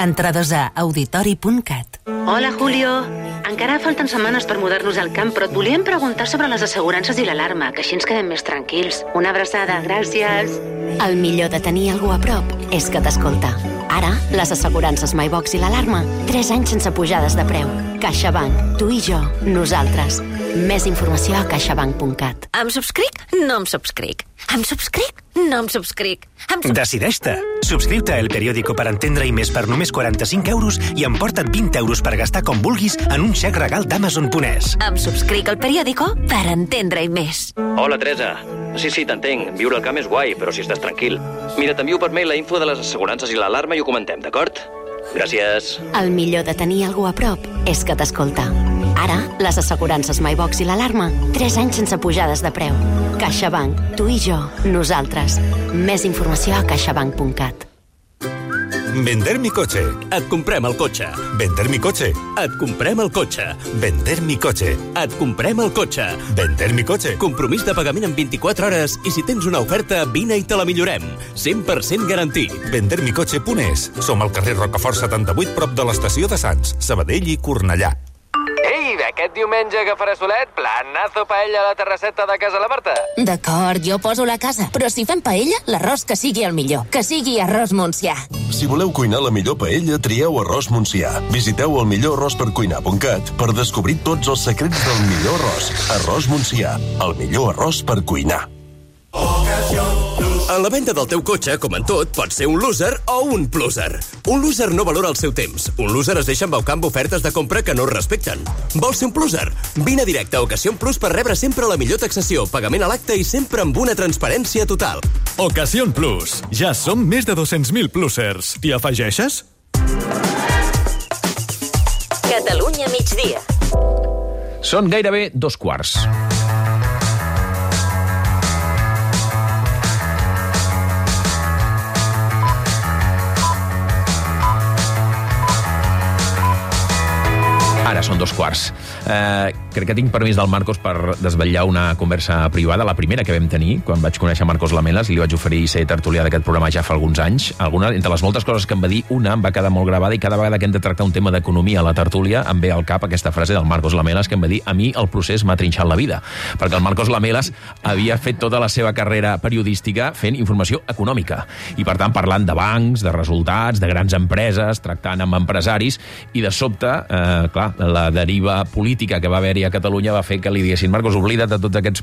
Entrades a auditori.cat. Hola, Julio. Encara falten setmanes per mudar-nos al camp, però et volíem preguntar sobre les assegurances i l'alarma, que així ens quedem més tranquils. Una abraçada, gràcies. El millor de tenir algú a prop és que t'escolta. Ara, les assegurances MyBox i l'alarma, 3 anys sense pujades de preu. CaixaBank, tu i jo, nosaltres. Més informació a caixabank.cat. Em subscric? No em subscric. Em subscric? No em subscric. Decideix-te. Subscriu-te a El Periódico per entendre-hi més per només 45 euros i emporta't 20 euros per gastar com vulguis en un xec regal d'Amazon.es. Em subscric al Periódico per entendre-hi més. Hola, Teresa. Sí, t'entenc. Viure al camp és guai, però si estàs tranquil. Mira, t'envio per mail la info de les assegurances i l'alarma i ho comentem, d'acord? Gràcies. El millor de tenir algú a prop és que t'escolta. Ara, les assegurances MyBox i l'alarma, 3 anys sense pujades de preu. CaixaBank, tu i jo, nosaltres. Més informació a caixabank.cat. Vender mi coche. Et comprem el cotxe. Vender mi coche. Et comprem el cotxe. Vender mi coche. Et comprem el cotxe. Vender mi coche. Compromís de pagament en 24 hores i si tens una oferta, vine i te la millorem. 100% garantit. Vendermicoche.es. Som al carrer Rocafort 78, prop de l'estació de Sants, Sabadell i Cornellà. Ei, aquest diumenge que farà solet, planazo paella a la terrasseta de casa la Marta. D'acord, jo poso la casa, però si fem paella, l'arròs que sigui el millor, que sigui arròs Montsià. Si voleu cuinar la millor paella, trieu arròs Montsià. Visiteu el millorarròspercuinar.cat per descobrir tots els secrets del millor arròs. Arròs Montsià, el millor arròs per cuinar. Ocasión Plus. En la venda del teu cotxe, com en tot, pots ser un loser o un pluser. Un loser no valora el seu temps. Un loser es deixa embaucar amb ofertes de compra que no es respecten. Vols ser un pluser? Vine a directe a Ocasión Plus per rebre sempre la millor taxació, pagament a l'acte i sempre amb una transparència total. Ocasión Plus. Ja som més de 200.000 plusers. T'hi afegeixes? Catalunya migdia. Són gairebé 2:15. Ara són 2:15. Crec que tinc permís del Marcos per desvetllar una conversa privada, la primera que vam tenir, quan vaig conèixer Marcos Lamelas i li vaig oferir ser tertulià d'aquest programa ja fa alguns anys. Entre les moltes coses que em va dir, una em va quedar molt gravada i cada vegada que hem de tractar un tema d'economia a la tertúlia em ve al cap aquesta frase del Marcos Lamelas que em va dir: a mi el procés m'ha trinxat la vida. Perquè el Marcos Lamelas havia fet tota la seva carrera periodística fent informació econòmica i, per tant, parlant de bancs, de resultats, de grans empreses, tractant amb empresaris i, de sobte, clar, la deriva política que va haver-hi a Catalunya va fer que li diguessin: Marcos, oblida't de tots aquests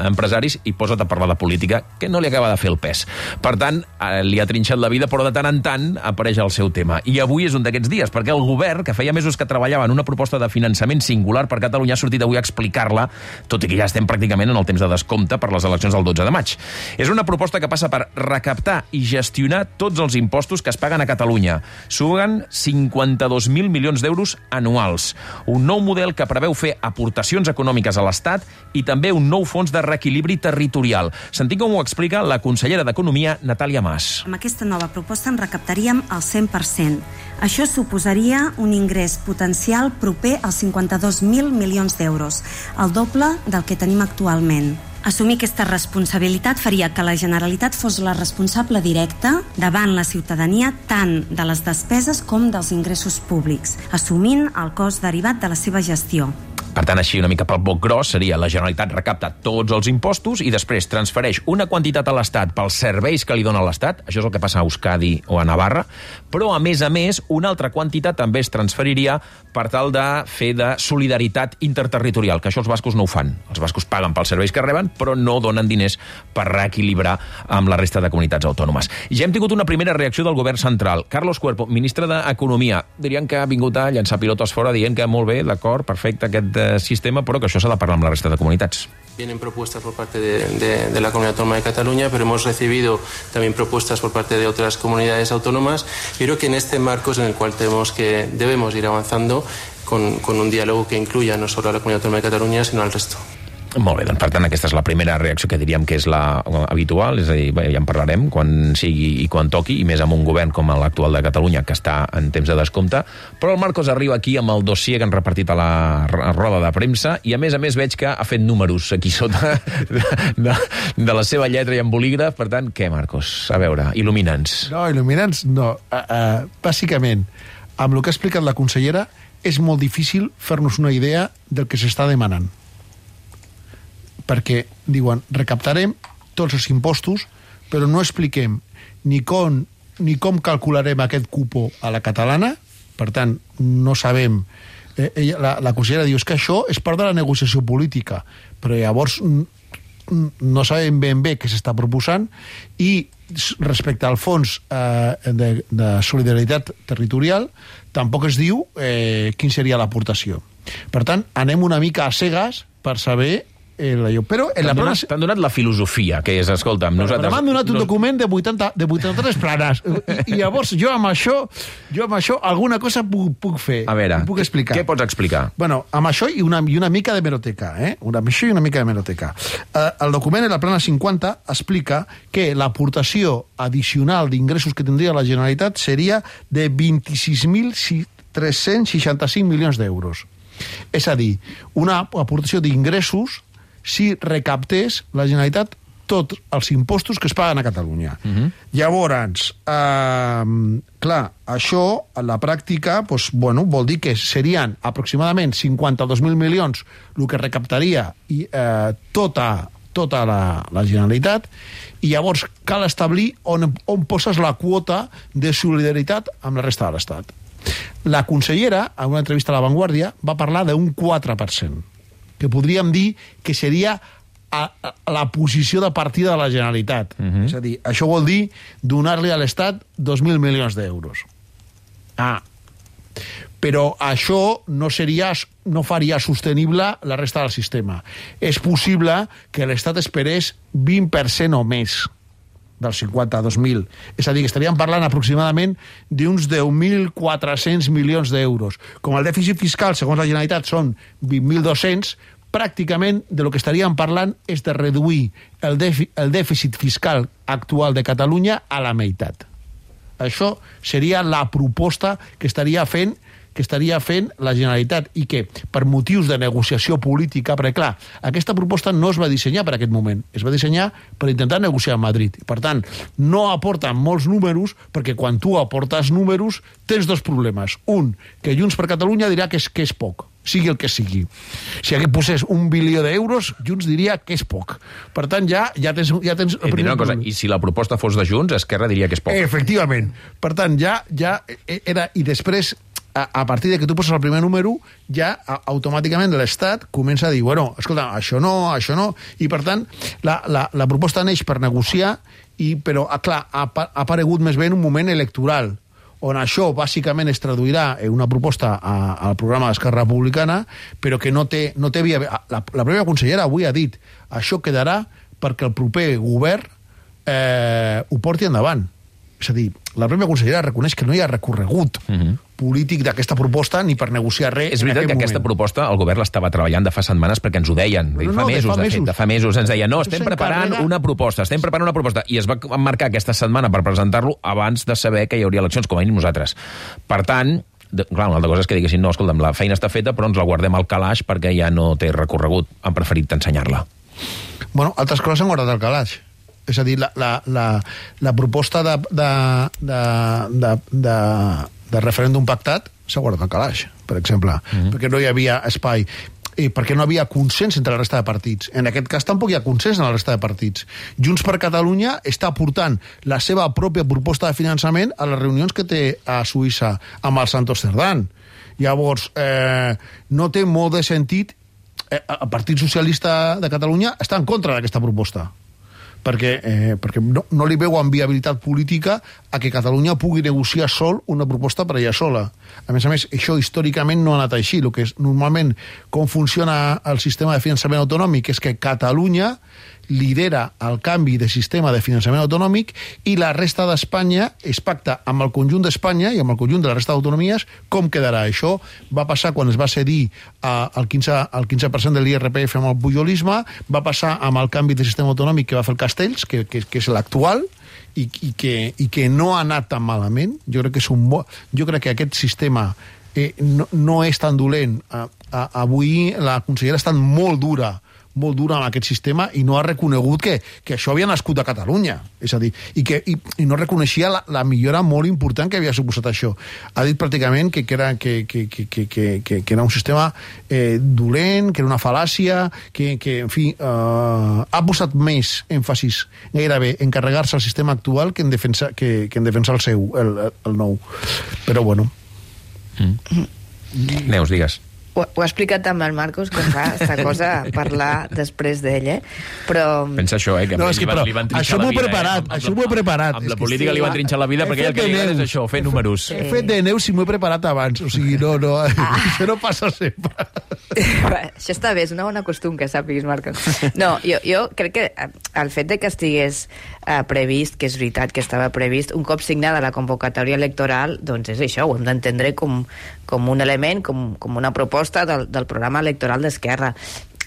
empresaris i posa't a parlar de política, que no li acaba de fer el pes. Per tant, li ha trinxat la vida, però de tant en tant apareix el seu tema. I avui és un d'aquests dies, perquè el govern, que feia mesos que treballava en una proposta de finançament singular per Catalunya, ha sortit avui a explicar-la, tot i que ja estem pràcticament en el temps de descompte per les eleccions del 12 de maig. És una proposta que passa per recaptar i gestionar tots els impostos que es paguen a Catalunya. Suguen 52.000 milions d'euros anuals. Un nou model que preveu fer aportacions econòmiques a l'Estat i també un nou fons de reequilibri territorial. Sentim com ho explica la consellera d'Economia, Natàlia Mas. Amb aquesta nova proposta en recaptaríem el 100%. Això suposaria un ingrés potencial proper als 52.000 milions d'euros, el doble del que tenim actualment. Assumir aquesta responsabilitat faria que la Generalitat fos la responsable directa davant la ciutadania tant de les despeses com dels ingressos públics, assumint el cost derivat de la seva gestió. Per tant, així una mica pel boc gros seria: la Generalitat recapta tots els impostos i després transfereix una quantitat a l'Estat pels serveis que li dona l'Estat, això és el que passa a Euskadi o a Navarra, però a més, una altra quantitat també es transferiria per tal de fer de solidaritat interterritorial, que això els bascos no ho fan. Els bascos paguen pels serveis que reben, però no donen diners per reequilibrar amb la resta de comunitats autònomes. Ja hem tingut una primera reacció del govern central. Carlos Cuerpo, ministre d'Economia, dirien que ha vingut a llançar pilotes fora dient que molt bé, d'acord, perfecte, aquest sistema, però que això s'ha de parlar amb la resta de comunitats. Vienen propuestas por parte de la Comunidad Autónoma de Cataluña, pero hemos recibido también propuestas por parte de otras comunidades autónomas. Y creo que en este marco es en el cual debemos ir avanzando con un diálogo que incluya no solo a la Comunidad Autónoma de Catalunya, sino al resto. Molt bé, doncs per tant aquesta és la primera reacció que diríem que és la habitual, és a dir, ja en parlarem quan sigui i quan toqui, i més amb un govern com l'actual de Catalunya que està en temps de descompte, però el Marcos arriba aquí amb el dossier que han repartit a la roda de premsa i a més veig que ha fet números aquí sota de la seva lletra i amb bolígraf. Per tant, què, Marcos? A veure, il·lumina'ns. No, il·lumina'ns no. Bàsicament, amb el que ha explicat la consellera, és molt difícil fer-nos una idea del que s'està demanant. Perquè diuen, recaptarem tots els impostos, però no expliquem ni com calcularem aquest cupo a la catalana, per tant, no sabem. La consellera diu que això és part de la negociació política, però llavors no sabem ben bé què s'està proposant, i respecte al fons de solidaritat territorial tampoc es diu quin seria l'aportació. Per tant, anem una mica a cegues per saber però t'han donat la filosofia, que és, escolta'm, nosaltres... M'han donat un document de 83 planes, i llavors jo amb això alguna cosa puc fer. A veure, puc explicar. Què pots explicar? Bueno, amb això i una mica de hemeroteca, El document de la plana 50 explica que l'aportació addicional d'ingressos que tindria la Generalitat seria de 26.365 milions d'euros. És a dir, una aportació d'ingressos si recaptés la Generalitat tots els impostos que es paguen a Catalunya. Llavors, clar, això a la pràctica vol dir que serien aproximadament 52.000 milions el que recaptaria tota la Generalitat, i llavors cal establir on poses la quota de solidaritat amb la resta de l'Estat. La consellera, en una entrevista a La Vanguardia, va parlar d'un 4%, que podríem dir que seria a la posició de partida de la Generalitat. És a dir, això vol dir donar-li a l'Estat 2.000 milions d'euros. Però això no faria sostenible la resta del sistema. És possible que l'Estat esperés 20% o més dels 52.000. És a dir, que estaríem parlant aproximadament d'uns 10.400 milions d'euros. Com el dèficit fiscal, segons la Generalitat, són 20.200, pràcticament de lo que estaríem parlant és de reduir el dèficit fiscal actual de Catalunya a la meitat. Això seria la proposta que estaria fent la Generalitat i que, per motius de negociació política, perquè, clar, aquesta proposta no es va dissenyar per aquest moment, es va dissenyar per intentar negociar a Madrid. Per tant, no aporten molts números, perquè quan tu aportes números tens dos problemes. Un, que Junts per Catalunya dirà que és poc, sigui el que sigui. Si aquí posés 1 bilió d'euros, Junts diria que és poc. Per tant, ja tens el primer problema. I si la proposta fos de Junts, Esquerra diria que és poc. Efectivament. Per tant, ja era... I després, a partir de que tu poses el primer número, ja automàticament l'Estat comença a dir, bueno, escolta, això no, i per tant, la proposta neix per negociar, però, clar, ha aparegut més bé en un moment electoral, on això bàsicament es traduirà en una proposta al programa d'Esquerra Republicana, però que no té via... La pròpia consellera avui ha dit, això quedarà perquè el proper govern ho porti endavant. És a dir, la pròpia consellera reconeix que no hi ha recorregut polític d'aquesta proposta ni per negociar res. És veritat que aquesta proposta el govern l'estava treballant de fa setmanes perquè ens ho deien. De fa mesos ens deien, no, estem preparant una proposta, i es va marcar aquesta setmana per presentar-lo abans de saber que hi hauria eleccions, com a mínim nosaltres. Per tant, clar, una altra cosa és que diguessin, no, escolta'm, la feina està feta, però ens la guardem al calaix perquè ja no té recorregut. Han preferit ensenyar-la. Bueno, altres coses s'han guardat al calaix. És a dir, la proposta de referèndum pactat s'ha guardat al calaix, per exemple, perquè no hi havia espai, perquè no havia consens entre la resta de partits. En aquest cas tampoc hi ha consens en la resta de partits. Junts per Catalunya està portant la seva pròpia proposta de finançament a les reunions que té a Suïssa amb el Santos Cerdán. Llavors, no té molt de sentit. El Partit Socialista de Catalunya està en contra d'aquesta proposta, perquè no li veuen viabilitat política a que Catalunya pugui negociar sol una proposta per ella sola. A més, això històricament no ha anat així. El que és normalment com funciona el sistema de finançament autonòmic és que Catalunya lidera el canvi de sistema de finançament autonòmic i la resta d'Espanya es pacta amb el conjunt d'Espanya i amb el conjunt de la resta d'autonomies com quedarà. Això va passar quan es va cedir el 15% de l'IRPF amb el pujolisme, va passar amb el canvi de sistema autonòmic que va fer el Castells, que és l'actual, i que no ha anat tan malament. Jo crec que aquest sistema no és tan dolent. Avui la consellera ha estat molt dura amb aquest sistema i no ha reconegut que això havia nascut a Catalunya. És a dir, i no reconeixia la millora molt important que havia suposat això. Ha dit pràcticament que era un sistema dolent, que era una fal·làcia, que en fi, ha posat més èmfasis gairebé en carregar-se el sistema actual que en defensar el seu, el nou. Però bueno. Neus, digues. Ho ha explicat també el Marcos, que fa aquesta cosa parlar després d'ell, però... Pensa això, que no, li van trinxar la vida. Això m'ho he preparat. Amb la política li van trinxar la vida perquè el que li agrada és això, fer números. He fet de Neus i m'ho he preparat abans. O sigui, no, això no passa sempre. Això està bé, és una bona costum que sàpiguis, Marcos. No, jo crec que el fet de que estigués previst, que és veritat que estava previst, un cop signada la convocatòria electoral, doncs és això, ho hem d'entendre com un element, com una proposta del programa electoral d'Esquerra.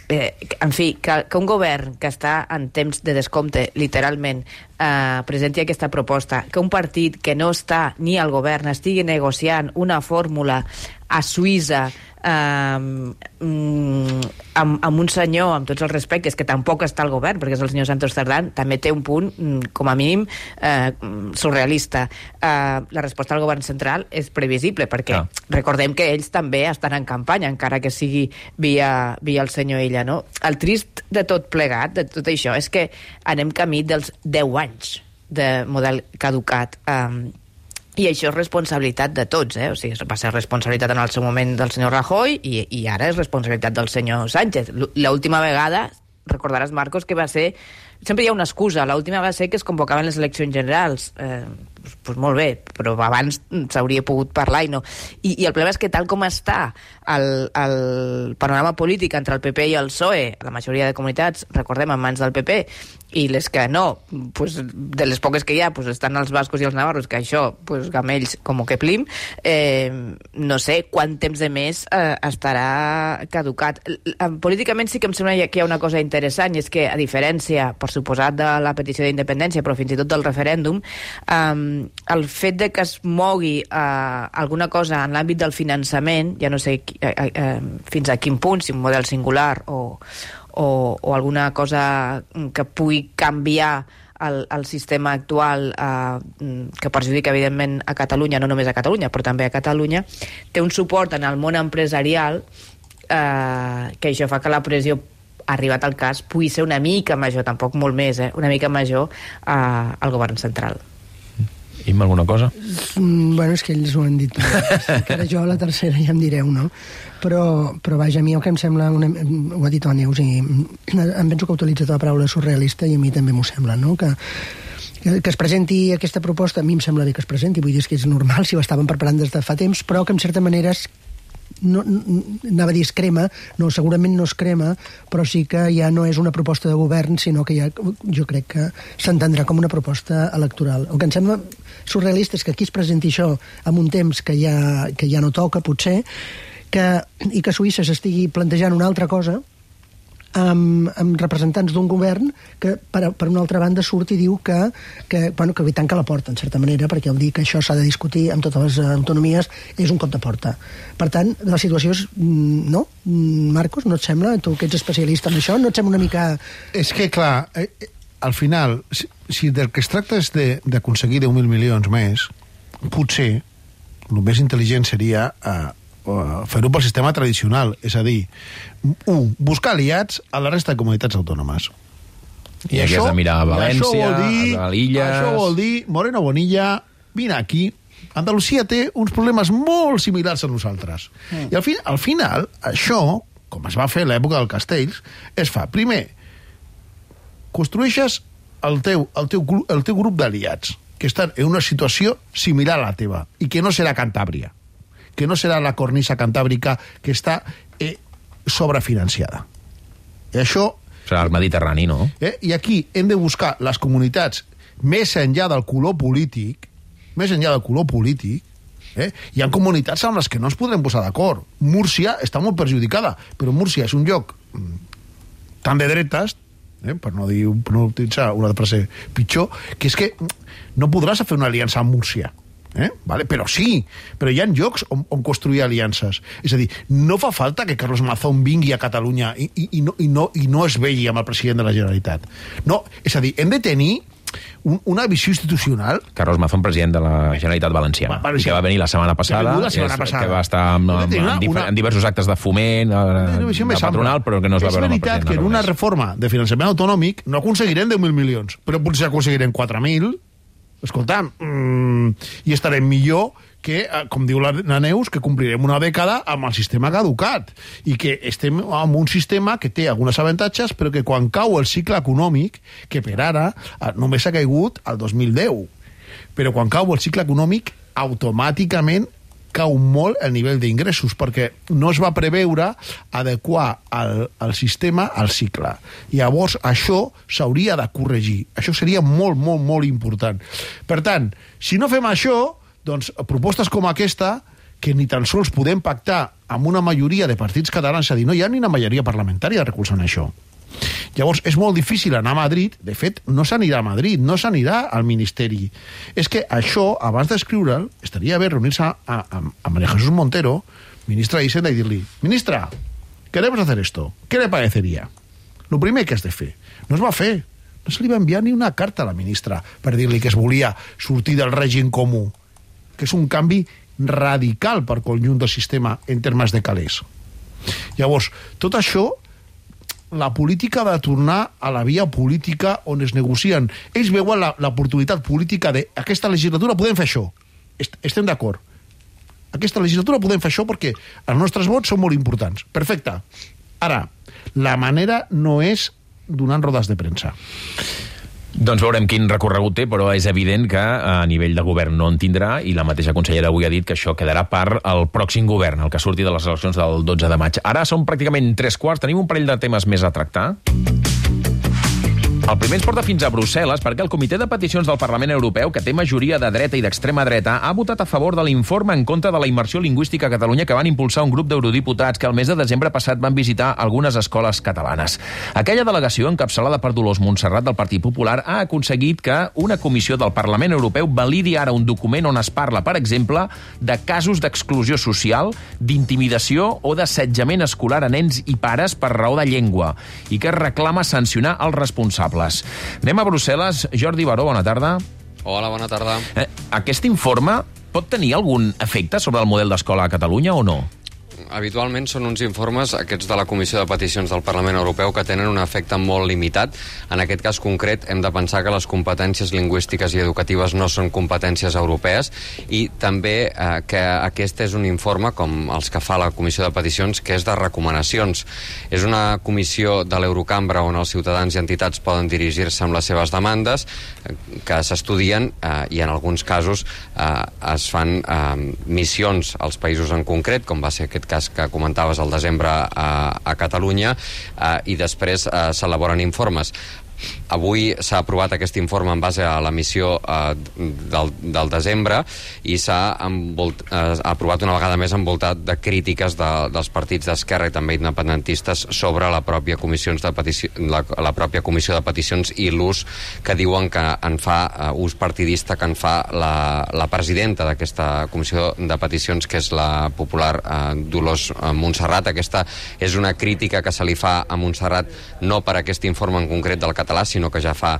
En fi, que un govern que està en temps de descompte, literalment, presenti aquesta proposta, que un partit que no està ni al govern estigui negociant una fórmula a Suïssa amb un senyor, amb tots els respectes, que tampoc està al govern, perquè és el senyor Santos Cerdán, també té un punt, com a mínim, surrealista. La resposta del govern central és previsible, perquè recordem que ells també estan en campanya, encara que sigui via el senyor Illa, no? El trist de tot plegat, de tot això, és que anem camí dels 10 anys de model caducat, i això és responsabilitat de tots, o sigui, va ser responsabilitat en el seu moment del senyor Rajoy i ara és responsabilitat del senyor Sánchez. L'última vegada recordaràs, Marcos, que va ser... Sempre hi ha una excusa. L'última va ser que es convocaven les eleccions generals. Pues molt bé, però abans s'hauria pogut parlar i no. I el problema és que tal com està el panorama polític entre el PP i el PSOE, la majoria de comunitats, recordem, en mans del PP, i les que no, pues, de les poques que hi ha, pues, estan els bascos i els navarros, que això, pues, gamells com que plim, no sé quant temps de més estarà caducat. Políticament sí que em sembla que hi ha una cosa interessant, i és que, a diferència, per suposat, de la petició d'independència, però fins i tot del referèndum, el fet de que es mogui alguna cosa en l'àmbit del finançament, ja no sé fins a quin punt, si un model singular o alguna cosa que pugui canviar el sistema actual que perjudica evidentment a Catalunya, no només a Catalunya però també a Catalunya, té un suport en el món empresarial que això fa que la pressió, arribat al cas, pugui ser una mica major, tampoc molt més, una mica major al govern central. Imma, alguna cosa? Bueno, és que ells ho han dit. Encara jo a la tercera ja em direu, no? Però vaja, a mi el que em sembla... ho ha dit la Neus, i em penso que ha utilitzat la paraula surrealista, i a mi també m'ho sembla, no? Que es presenti aquesta proposta, a mi em sembla bé que es presenti, vull dir, és que és normal si ho estaven preparant des de fa temps, però que en certa manera anava a dir es crema, no, segurament no es crema, però sí que ja no és una proposta de govern, sinó que ja, jo crec que s'entendrà com una proposta electoral. El que em sembla surrealista és que aquí es presenti això en un temps que ja no toca, potser, i que a Suïssa s'estigui plantejant una altra cosa amb representants d'un govern que, per una altra banda, surt i diu que tanca la porta, en certa manera, perquè el dir que això s'ha de discutir amb totes les autonomies és un cop de porta. Per tant, la situació és... No? Marcos, no et sembla? Tu que ets especialista en això, no et sembla una mica... És que, clar, al final, si del que es tracta és d'aconseguir 10.000 milions més, potser el més intel·ligent seria... fer-ho pel sistema tradicional, és a dir, buscar aliats a la resta de comunitats autònomes. I aquí has de mirar a València, a l'Illa... Això vol dir, Moreno Bonilla, vine aquí, Andalusia té uns problemes molt similars a nosaltres. I al final, això, com es va fer a l'època del Castells, es fa, primer, construeixes el teu grup d'aliats, que estan en una situació similar a la teva, i que no serà Cantàbria, que no serà la cornisa cantàbrica que està sobrefinanciada. I això... Serà el Mediterrani, no? I aquí hem de buscar les comunitats més enllà del color polític, hi ha comunitats amb les que no ens podrem posar d'acord. Múrcia està molt perjudicada, però Múrcia és un lloc tan de dretes, per no utilitzar una frase pitjor, que és que no podràs fer una aliança amb Múrcia. Vale? Però hi ha llocs on construir aliances. És a dir, no fa falta que Carlos Mazón vingui a Catalunya i no es vegi amb el president de la Generalitat. No, és a dir, hem de tenir una visió institucional. Carlos Mazón, president de la Generalitat Valenciana, que va venir la setmana passada, que va estar en diversos actes de foment, de patronal, però que no es va veure amb el president. És veritat que en una reforma de finançament autonòmic no aconseguirem 10.000 milions, però potser aconseguirem 4.000. Escolta'm, i estarem millor que, com diu la Neus, que complirem una dècada amb el sistema caducat i que estem en un sistema que té alguns avantatges, però que quan cau el cicle econòmic, que per ara només ha caigut el 2010, però quan cau el cicle econòmic automàticament cau molt el nivell d'ingressos, perquè no es va preveure adequar el sistema al cicle. Llavors, això s'hauria de corregir. Això seria molt, molt, molt important. Per tant, si no fem això, doncs propostes com aquesta, que ni tan sols podem pactar amb una majoria de partits catalans, és a dir, no hi ha ni una majoria parlamentària recolzant això. Llavors, és molt difícil anar a Madrid. De fet, no s'anirà a Madrid, no s'anirà al Ministeri. És que això, abans d'escriure'l, estaria bé reunir-se a María Jesús Montero, ministra d'Hisenda, i dir-li: ministra, queremos hacer esto, ¿qué le parecería? Lo primer que has de fer. No es va fer. No se li va enviar ni una carta a la ministra per dir-li que es volia sortir del règim comú, que és un canvi radical per conjunt del sistema en termes de calés. Llavors, tot això, la política de tornar a la via política on es negocien. Ells veuen l'oportunitat política d'aquesta legislatura podem fer això. Estem d'acord. Aquesta legislatura podem fer això perquè els nostres vots són molt importants. Perfecte. Ara, la manera no és donant rodes de premsa. Doncs veurem quin recorregut té, però és evident que a nivell de govern no en tindrà, i la mateixa consellera avui ha dit que això quedarà per al pròxim govern, el que surti de les eleccions del 12 de maig. Ara són pràcticament 3:15, tenim un parell de temes més a tractar. El primer ens porta fins a Brussel·les perquè el Comitè de Peticions del Parlament Europeu, que té majoria de dreta i d'extrema dreta, ha votat a favor de l'informe en contra de la immersió lingüística a Catalunya que van impulsar un grup d'eurodiputats que el mes de desembre passat van visitar algunes escoles catalanes. Aquella delegació, encapçalada per Dolors Montserrat del Partit Popular, ha aconseguit que una comissió del Parlament Europeu validi ara un document on es parla, per exemple, de casos d'exclusió social, d'intimidació o d'assetjament escolar a nens i pares per raó de llengua, i que reclama sancionar els responsables. Anem a Brussel·les. Jordi Baró, bona tarda. Hola, bona tarda. Aquest informe pot tenir algun efecte sobre el model d'escola a Catalunya o no? Habitualment són uns informes, aquests de la Comissió de Peticions del Parlament Europeu, que tenen un efecte molt limitat. En aquest cas concret hem de pensar que les competències lingüístiques i educatives no són competències europees, i també que aquest és un informe, com els que fa la Comissió de Peticions, que és de recomanacions. És una comissió de l'Eurocambra on els ciutadans i entitats poden dirigir-se amb les seves demandes, que s'estudien i en alguns casos es fan missions als països en concret, com va ser aquest cas que comentaves al desembre a Catalunya, i després s'elaboren informes. Avui s'ha aprovat aquest informe en base a la missió del desembre, i s'ha aprovat una vegada més envoltat de crítiques dels partits d'esquerra i també independentistes sobre la pròpia comissió de peticions i l'ús que diuen que en fa, ús partidista que en fa la presidenta d'aquesta comissió de peticions, que és la popular Dolors Montserrat. Aquesta és una crítica que se li fa a Montserrat no per aquest informe en concret del català, sinó que ja fa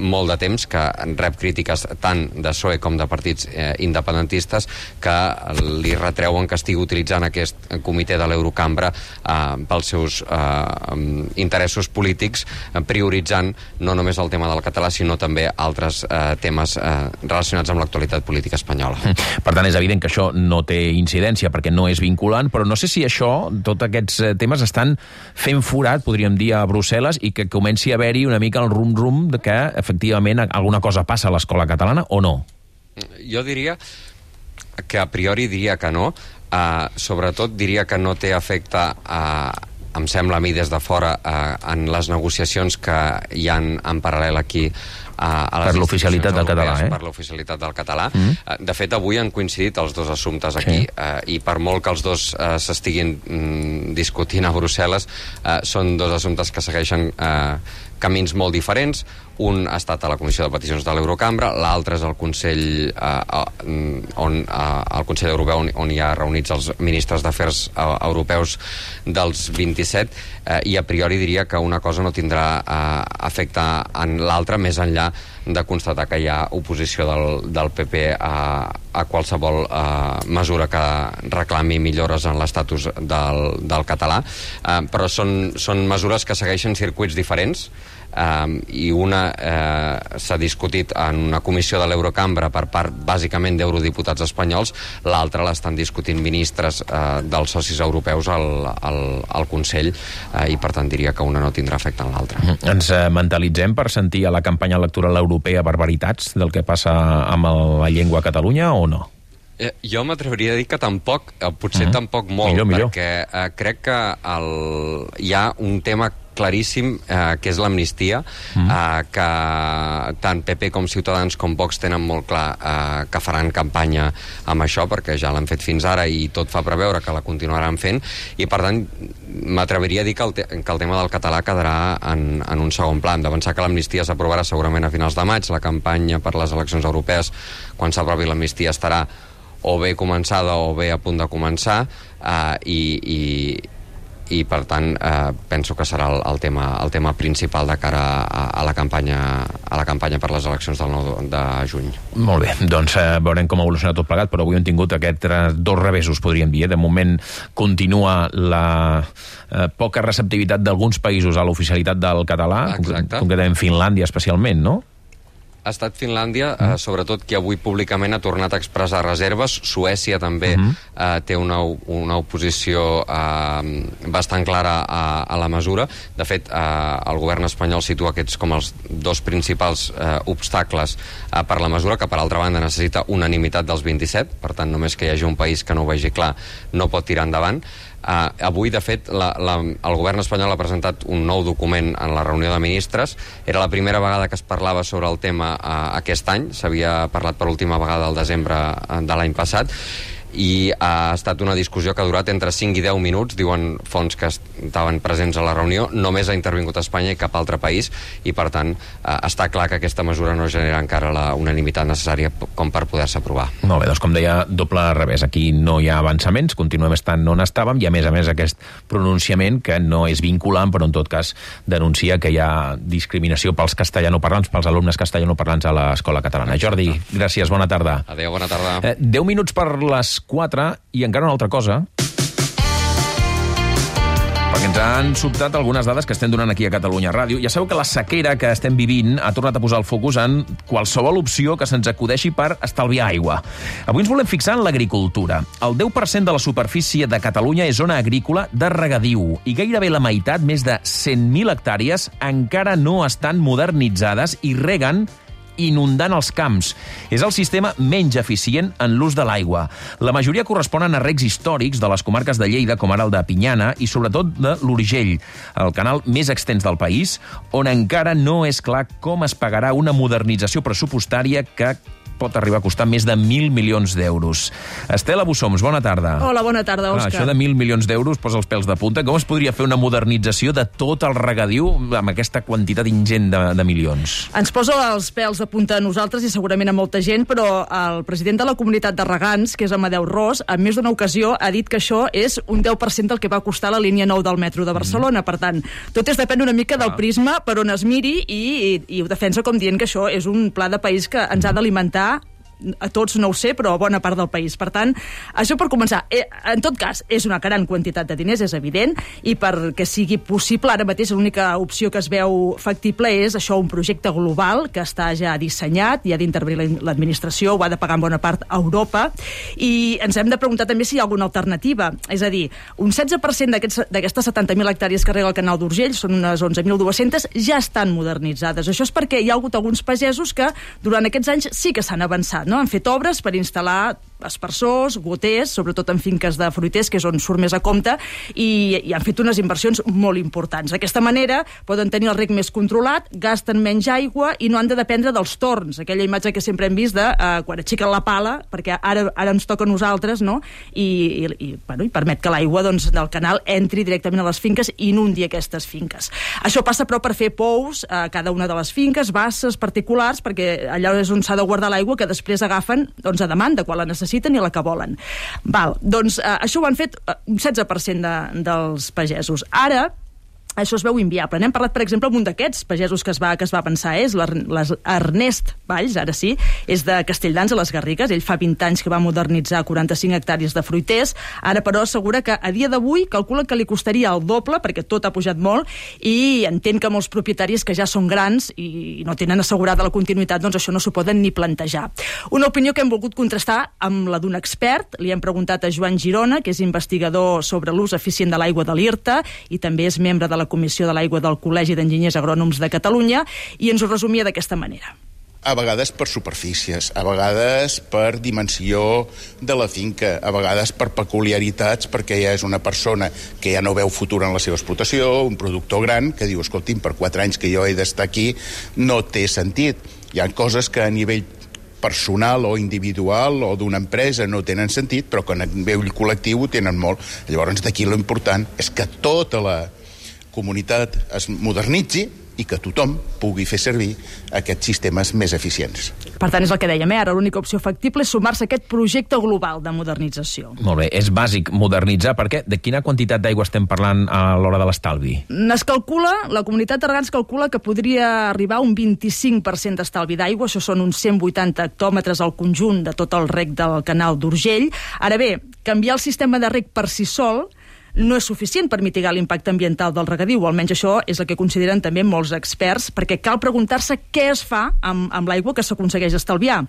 molt de temps que rep crítiques tant de PSOE com de partits independentistes que li retreuen que estigui utilitzant aquest comitè de l'Eurocambra pels seus interessos polítics, prioritzant no només el tema del català, sinó també altres temes relacionats amb l'actualitat política espanyola. Per tant, és evident que això no té incidència perquè no és vinculant, però no sé si això, tots aquests temes estan fent forat, podríem dir, a Brussel·les, i que comenci a haver-hi una mica el rum-rum que efectivament alguna cosa passa a l'escola catalana o no? Jo diria que a priori diria que no. Sobretot diria que no té efecte, em sembla a mi des de fora, en les negociacions que hi ha en paral·lel aquí per l'oficialitat del català, per l'oficialitat del català. De fet, avui han coincidit els dos assumptes aquí, i per molt que els dos s'estiguin discutint a Brussel·les, són dos assumptes que segueixen camins molt diferents. Un ha estat a la Comissió de Peticions de l'Eurocambra, l'altre és el Consell el Consell Europeu, on hi ha reunits els ministres d'Afers Europeus dels 27, i a priori diria que una cosa no tindrà efecte en l'altra, més enllà de constatar que hi ha oposició del PP a qualsevol mesura que reclami millores en l'estatus del català, però són mesures que segueixen circuits diferents, i una s'ha discutit en una comissió de l'Eurocambra per part bàsicament d'eurodiputats espanyols, l'altra l'estan discutint ministres dels socis europeus al Consell, i per tant diria que una no tindrà efecte en l'altra. Ens mentalitzem per sentir a la campanya electoral europea barbaritats del que passa amb la llengua a Catalunya o no? Jo m'atreviria a dir que tampoc, potser tampoc molt, perquè crec que hi ha un tema claríssim, que és l'amnistia, que tant PP com Ciutadans com Vox tenen molt clar que faran campanya amb això, perquè ja l'han fet fins ara i tot fa preveure que la continuaran fent, i per tant m'atreviria a dir que el tema del català quedarà en un segon pla. Hem de pensar que l'amnistia s'aprovarà segurament a finals de maig, la campanya per les eleccions europees, quan s'aprovi l'amnistia, estarà o bé començada o bé a punt de començar, i per tant penso que serà el tema principal de cara a la campanya per les eleccions del 9 de juny. Molt bé, doncs veurem com evoluciona tot plegat, però avui hem tingut aquests dos revessos, podríem dir. De moment continua la poca receptivitat d'alguns països a l'oficialitat del català, concretament Finlàndia especialment, no? Ha estat Finlàndia, sobretot qui avui públicament ha tornat a expressar reserves. Suècia també té una oposició bastant clara a la mesura. De fet, el govern espanyol situa aquests com els dos principals obstacles per la mesura, que per altra banda necessita unanimitat dels 27, per tant només que hi hagi un país que no ho vegi clar no pot tirar endavant. Avui, de fet, el govern espanyol ha presentat un nou document en la reunió de ministres. Era la primera vegada que es parlava sobre el tema aquest any. S'havia parlat per última vegada al desembre de l'any passat, i ha estat una discussió que ha durat entre 5 i 10 minuts, diuen fonts que estaven presents a la reunió. Només ha intervingut Espanya i cap altre país, i per tant està clar que aquesta mesura no genera encara la unanimitat necessària com per poder-se aprovar. Molt bé, doncs com deia, doble revés. Aquí no hi ha avançaments, continuem estant on estàvem, i a més aquest pronunciament que no és vinculant, però en tot cas denuncia que hi ha discriminació pels castellanoparlants, pels alumnes castellanoparlants a l'escola catalana. Jordi, gràcies, bona tarda. Adéu, bona tarda. 10 minuts per les 4, i encara una altra cosa, perquè ens han sobtat algunes dades que estem donant aquí a Catalunya Ràdio. Ja sabeu que la sequera que estem vivint ha tornat a posar el focus en qualsevol opció que se'ns acudeixi per estalviar aigua. Avui ens volem fixar en l'agricultura. El 10% de la superfície de Catalunya és zona agrícola de regadiu, i gairebé la meitat, més de 100.000 hectàrees, encara no estan modernitzades i reguen inundant els camps. És el sistema menys eficient en l'ús de l'aigua. La majoria corresponen a recs històrics de les comarques de Lleida, com ara el de Pinyana, i sobretot de l'Urgell, el canal més extens del país, on encara no és clar com es pagarà una modernització pressupostària que pot arribar a costar més de 1.000 milions d'euros. Estela Bussoms, bona tarda. Hola, bona tarda, Òscar. Això de 1.000 milions d'euros posa els pèls de punta. Com es podria fer una modernització de tot el regadiu amb aquesta quantitat ingent de milions? Ens posa els pèls de punta a nosaltres i segurament a molta gent, però el president de la comunitat de regants, que és Amadeu Ros, en més d'una ocasió ha dit que això és un 10% del que va costar la línia 9 del metro de Barcelona. Per tant, tot depèn una mica del prisma per on es miri, i ho defensa com dient que això és un pla de país que ens ha d'alimentar a tots, no ho sé, però a bona part del país. Per tant, això per començar. En tot cas, és una gran quantitat de diners, és evident, i perquè sigui possible, ara mateix l'única opció que es veu factible és això, un projecte global que està ja dissenyat, i ha d'intervenir l'administració, ho ha de pagar en bona part a Europa, i ens hem de preguntar també si hi ha alguna alternativa. És a dir, un 16% d'aquestes 70.000 hectàrees que rega el canal d'Urgell, són unes 11.200, ja estan modernitzades. Això és perquè hi ha hagut alguns pagesos que durant aquests anys sí que s'han avançat, no? Han fet obres per instal·lar aspersors, goters, sobretot en finques de fruiters, que és on surt més a compte, i han fet unes inversions molt importants. D'aquesta manera poden tenir el reg més controlat, gasten menys aigua i no han de dependre dels torns, aquella imatge que sempre hem vist de quan aixequen la pala, perquè ara ens toca a nosaltres, no? I permet que l'aigua del canal entri directament a les finques i inundi aquestes finques. Això passa, però, per fer pous a cada una de les finques, basses particulars, perquè allà és on s'ha de guardar l'aigua que després agafen a demanda, quan la necessiten i la que volen. Això ho han fet un 16% dels pagesos. Ara, això es veu inviable. N'hem parlat, per exemple, amb un d'aquests pagesos que es va avançar, és l'Ernest Valls, ara sí, és de Castelldans, a les Garrigues. Ell fa 20 anys que va modernitzar 45 hectàrees de fruiters. Ara, però, assegura que a dia d'avui calcula que li costaria el doble, perquè tot ha pujat molt, i entén que molts propietaris que ja són grans i no tenen assegurada la continuïtat, doncs això no s'ho poden ni plantejar. Una opinió que hem volgut contrastar amb la d'un expert. Li hem preguntat a Joan Girona, que és investigador sobre l'ús eficient de l'aigua de l'IRTA i també és membre de la Comissió de l'Aigua del Col·legi d'Enginyers Agrònoms de Catalunya, i ens ho resumia d'aquesta manera. A vegades per superfícies, a vegades per dimensió de la finca, a vegades per peculiaritats, perquè ja és una persona que ja no veu futur en la seva explotació, un productor gran que diu, escolti'm, per 4 anys que jo he d'estar aquí no té sentit. Hi ha coses que a nivell personal o individual o d'una empresa no tenen sentit, però que a nivell col·lectiu ho tenen molt. Llavors, d'aquí l'important és que tota la comunitat es modernitzi i que tothom pugui fer servir aquests sistemes més eficients. Per tant, és el que dèiem, ara l'única opció factible és sumar-se a aquest projecte global de modernització. Molt bé, és bàsic modernitzar, perquè de quina quantitat d'aigua estem parlant a l'hora de l'estalvi? Es calcula, la comunitat de regants calcula que podria arribar a un 25% d'estalvi d'aigua, això són uns 180 hectòmetres al conjunt de tot el reg del canal d'Urgell. Ara bé, canviar el sistema de reg per si sol no és suficient per mitigar l'impacte ambiental del regadiu, o almenys això és el que consideren també molts experts, perquè cal preguntar-se què es fa amb l'aigua que s'aconsegueix estalviar.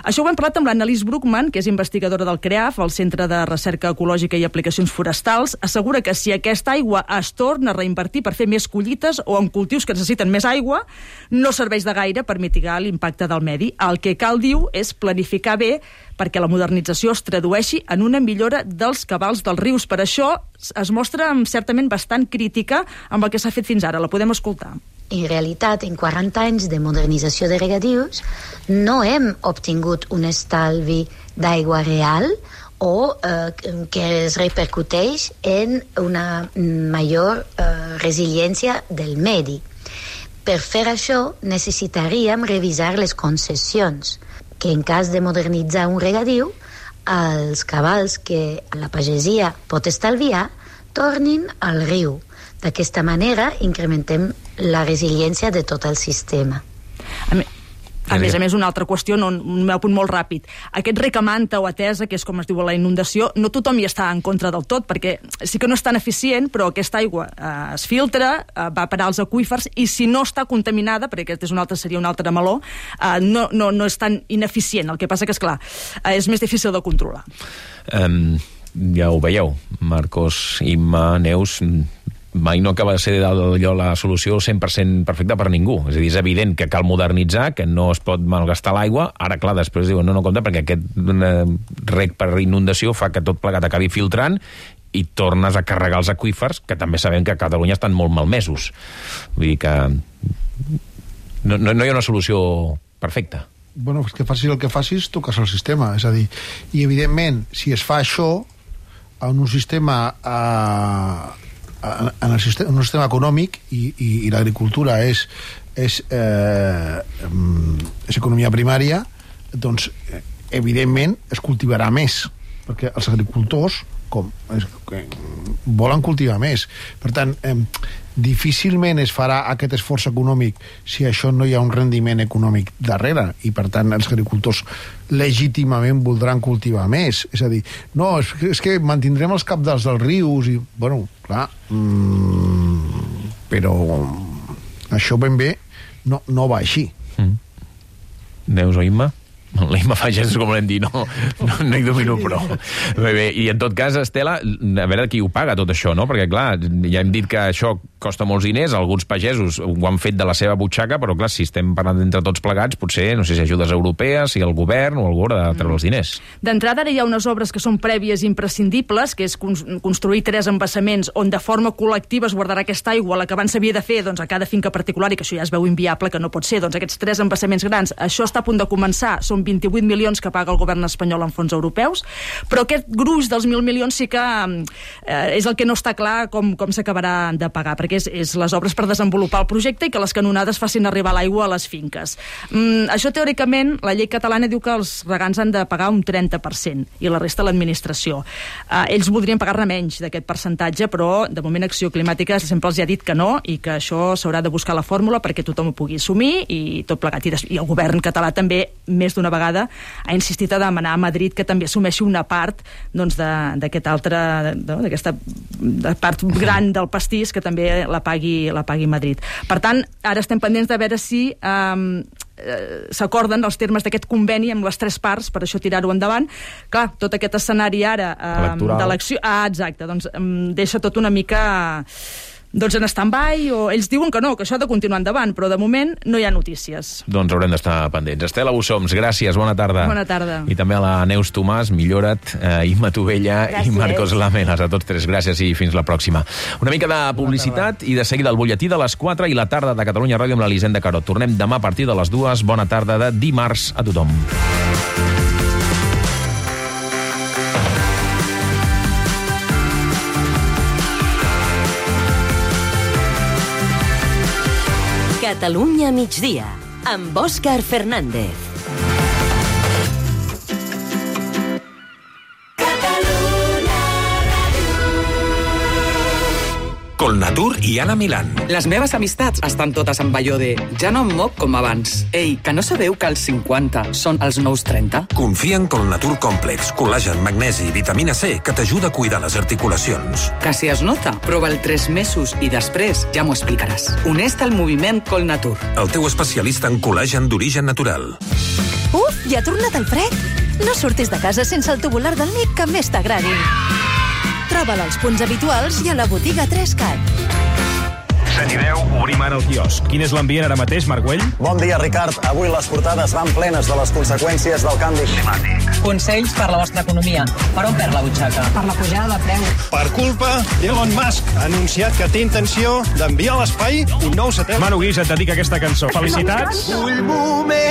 Això ho hem parlat amb l'Annalise Bruckmann, que és investigadora del CREAF, el Centre de Recerca Ecològica i Aplicacions Forestals. Assegura que si aquesta aigua es torna a reinvertir per fer més collites o en cultius que necessiten més aigua, no serveix de gaire per mitigar l'impacte del medi. El que cal, diu, és planificar bé perquè la modernització es tradueixi en una millora dels cabals dels rius. Per això es mostra certament bastant crítica amb el que s'ha fet fins ara. La podem escoltar. En realitat, en 40 anys de modernització de regadius, no hem obtingut un estalvi d'aigua real o que es repercuteix en una major resiliència del medi. Per fer això, necessitaríem revisar les concessions, que en cas de modernitzar un regadiu, els cabals que la pagesia pot estalviar tornin al riu. D'aquesta manera incrementem la resiliència de tot el sistema. A més, una altra qüestió, un meu punt molt ràpid. Aquest rec a manta o atesa, que és com es diu la inundació, no tothom hi està en contra del tot, perquè sí que no és tan eficient, però aquesta aigua es filtra, va parar als aqüífers, i si no està contaminada, perquè aquest seria un altre meló, no és tan ineficient. El que passa que, esclar, és més difícil de controlar. Ja ho veieu, Marcos, Imma, Neus, mai no acaba de ser allò la solució 100% perfecta per ningú. És a dir, és evident que cal modernitzar, que no es pot malgastar l'aigua. Ara, clar, després diuen, no compta, perquè aquest rec per inundació fa que tot plegat acabi filtrant i tornes a carregar els aqüífers, que també sabem que a Catalunya estan molt malmesos. Vull dir que no hi ha una solució perfecta. Bueno, és que facis el que facis, toques el sistema. És a dir, i evidentment, si es fa això en un sistema en un sistema econòmic i l'agricultura és economia primària, doncs evidentment es cultivarà més, perquè els agricultors volen cultivar més. Per tant, difícilment es farà aquest esforç econòmic si això no hi ha un rendiment econòmic darrere, i per tant els agricultors legítimament voldran cultivar més. És a dir, no, és que mantindrem els cabals dels rius i, bueno, clar, però això ben bé no va així. Neus o Imma? L'Imma fa gestos, com volem dir, no hi domino prou. Bé, i en tot cas, Estela, a veure qui ho paga tot això, no? Perquè, clar, ja hem dit que això costa molts diners, alguns pagesos ho han fet de la seva butxaca, però, clar, si estem parlant entre tots plegats, potser, no sé si ajudes europees, si el govern o algú haurà de treure els diners. D'entrada, ara hi ha unes obres que són prèvies i imprescindibles, que és construir 3 embassaments on de forma col·lectiva es guardarà aquesta aigua, la que abans s'havia de fer a cada finca particular, i que això ja es veu inviable, que no pot ser. Doncs aquests 3 embassaments grans, això està a punt de començar, són 28 milions que paga el govern espanyol en fons europeus, però aquest gruix dels 1.000 milions sí que és el que no està clar com s'acabarà de pagar, perquè és les obres per desenvolupar el projecte i que les canonades facin arribar l'aigua a les finques. Això, teòricament, la llei catalana diu que els regants han de pagar un 30% i la resta l'administració. Ells voldrien pagar-ne menys d'aquest percentatge, però de moment Acció Climàtica sempre els ha dit que no, i que això s'haurà de buscar la fòrmula perquè tothom ho pugui assumir i tot plegat. I el govern català també, més d'una vegada, ha insistit a demanar a Madrid que també assumeixi una part d'aquesta part gran del pastís, que també la pagui Madrid. Per tant, ara estem pendents de veure si s'acorden els termes d'aquest conveni amb les 3 parts, per això tirar-ho endavant. Clar, tot aquest escenari ara d'elecció... exacte, doncs deixa tot una mica... en stand-by, o ells diuen que no, que això ha de continuar endavant, però de moment no hi ha notícies. Doncs haurem d'estar pendents. Estela Bussoms, gràcies, bona tarda. Bona tarda. I també a la Neus Tomàs, millora't, Imma Tovella i Marcos Lamenas, a tots 3, gràcies i fins la pròxima. Una mica de publicitat i de seguida el butlletí de les 4 i la tarda de Catalunya Ràdio amb l'Elisenda Carot. Tornem demà a partir de les 2. Bona tarda de dimarts a tothom. Catalunya migdia, amb Òscar Fernández. Colnatur i Anna Milán. Les meves amistats estan totes amb allò de ja no em moc com abans. Ei, que no sabeu que els 50 són els nous 30? Confia en Colnatur Complex, col·lagen, magnesi i vitamina C que t'ajuda a cuidar les articulacions. Que si es nota, prova'l 3 mesos i després ja m'ho explicaràs. Uneix-te al moviment Colnatur. El teu especialista en col·lagen d'origen natural. Uf, ja ha tornat el fred? No surtis de casa sense el tubular del Nick que més t'agradi. Troba'l als punts habituals i a la botiga 3CAT. 7 i 10, obrim ara el quiosc. Quin és l'ambient ara mateix, Marc Güell? Bon dia, Ricard. Avui les portades van plenes de les conseqüències del canvi climàtic. Consells per la vostra economia. Per on perd la butxaca? Per la pujada de preu. Per culpa d'Elon Musk. Ha anunciat que té intenció d'enviar a l'espai un nou satèl·lit. Manu Guix et dedica aquesta cançó. Felicitats. Vull moments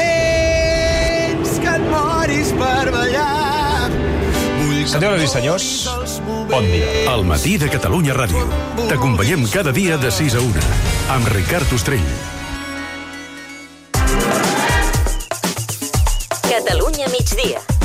que et moris per ballar. Senyores i senyors, bon dia. Al matí de Catalunya Ràdio. T'acompanyem cada dia de 6 a 1. Amb Ricard Ostrell. Catalunya migdia.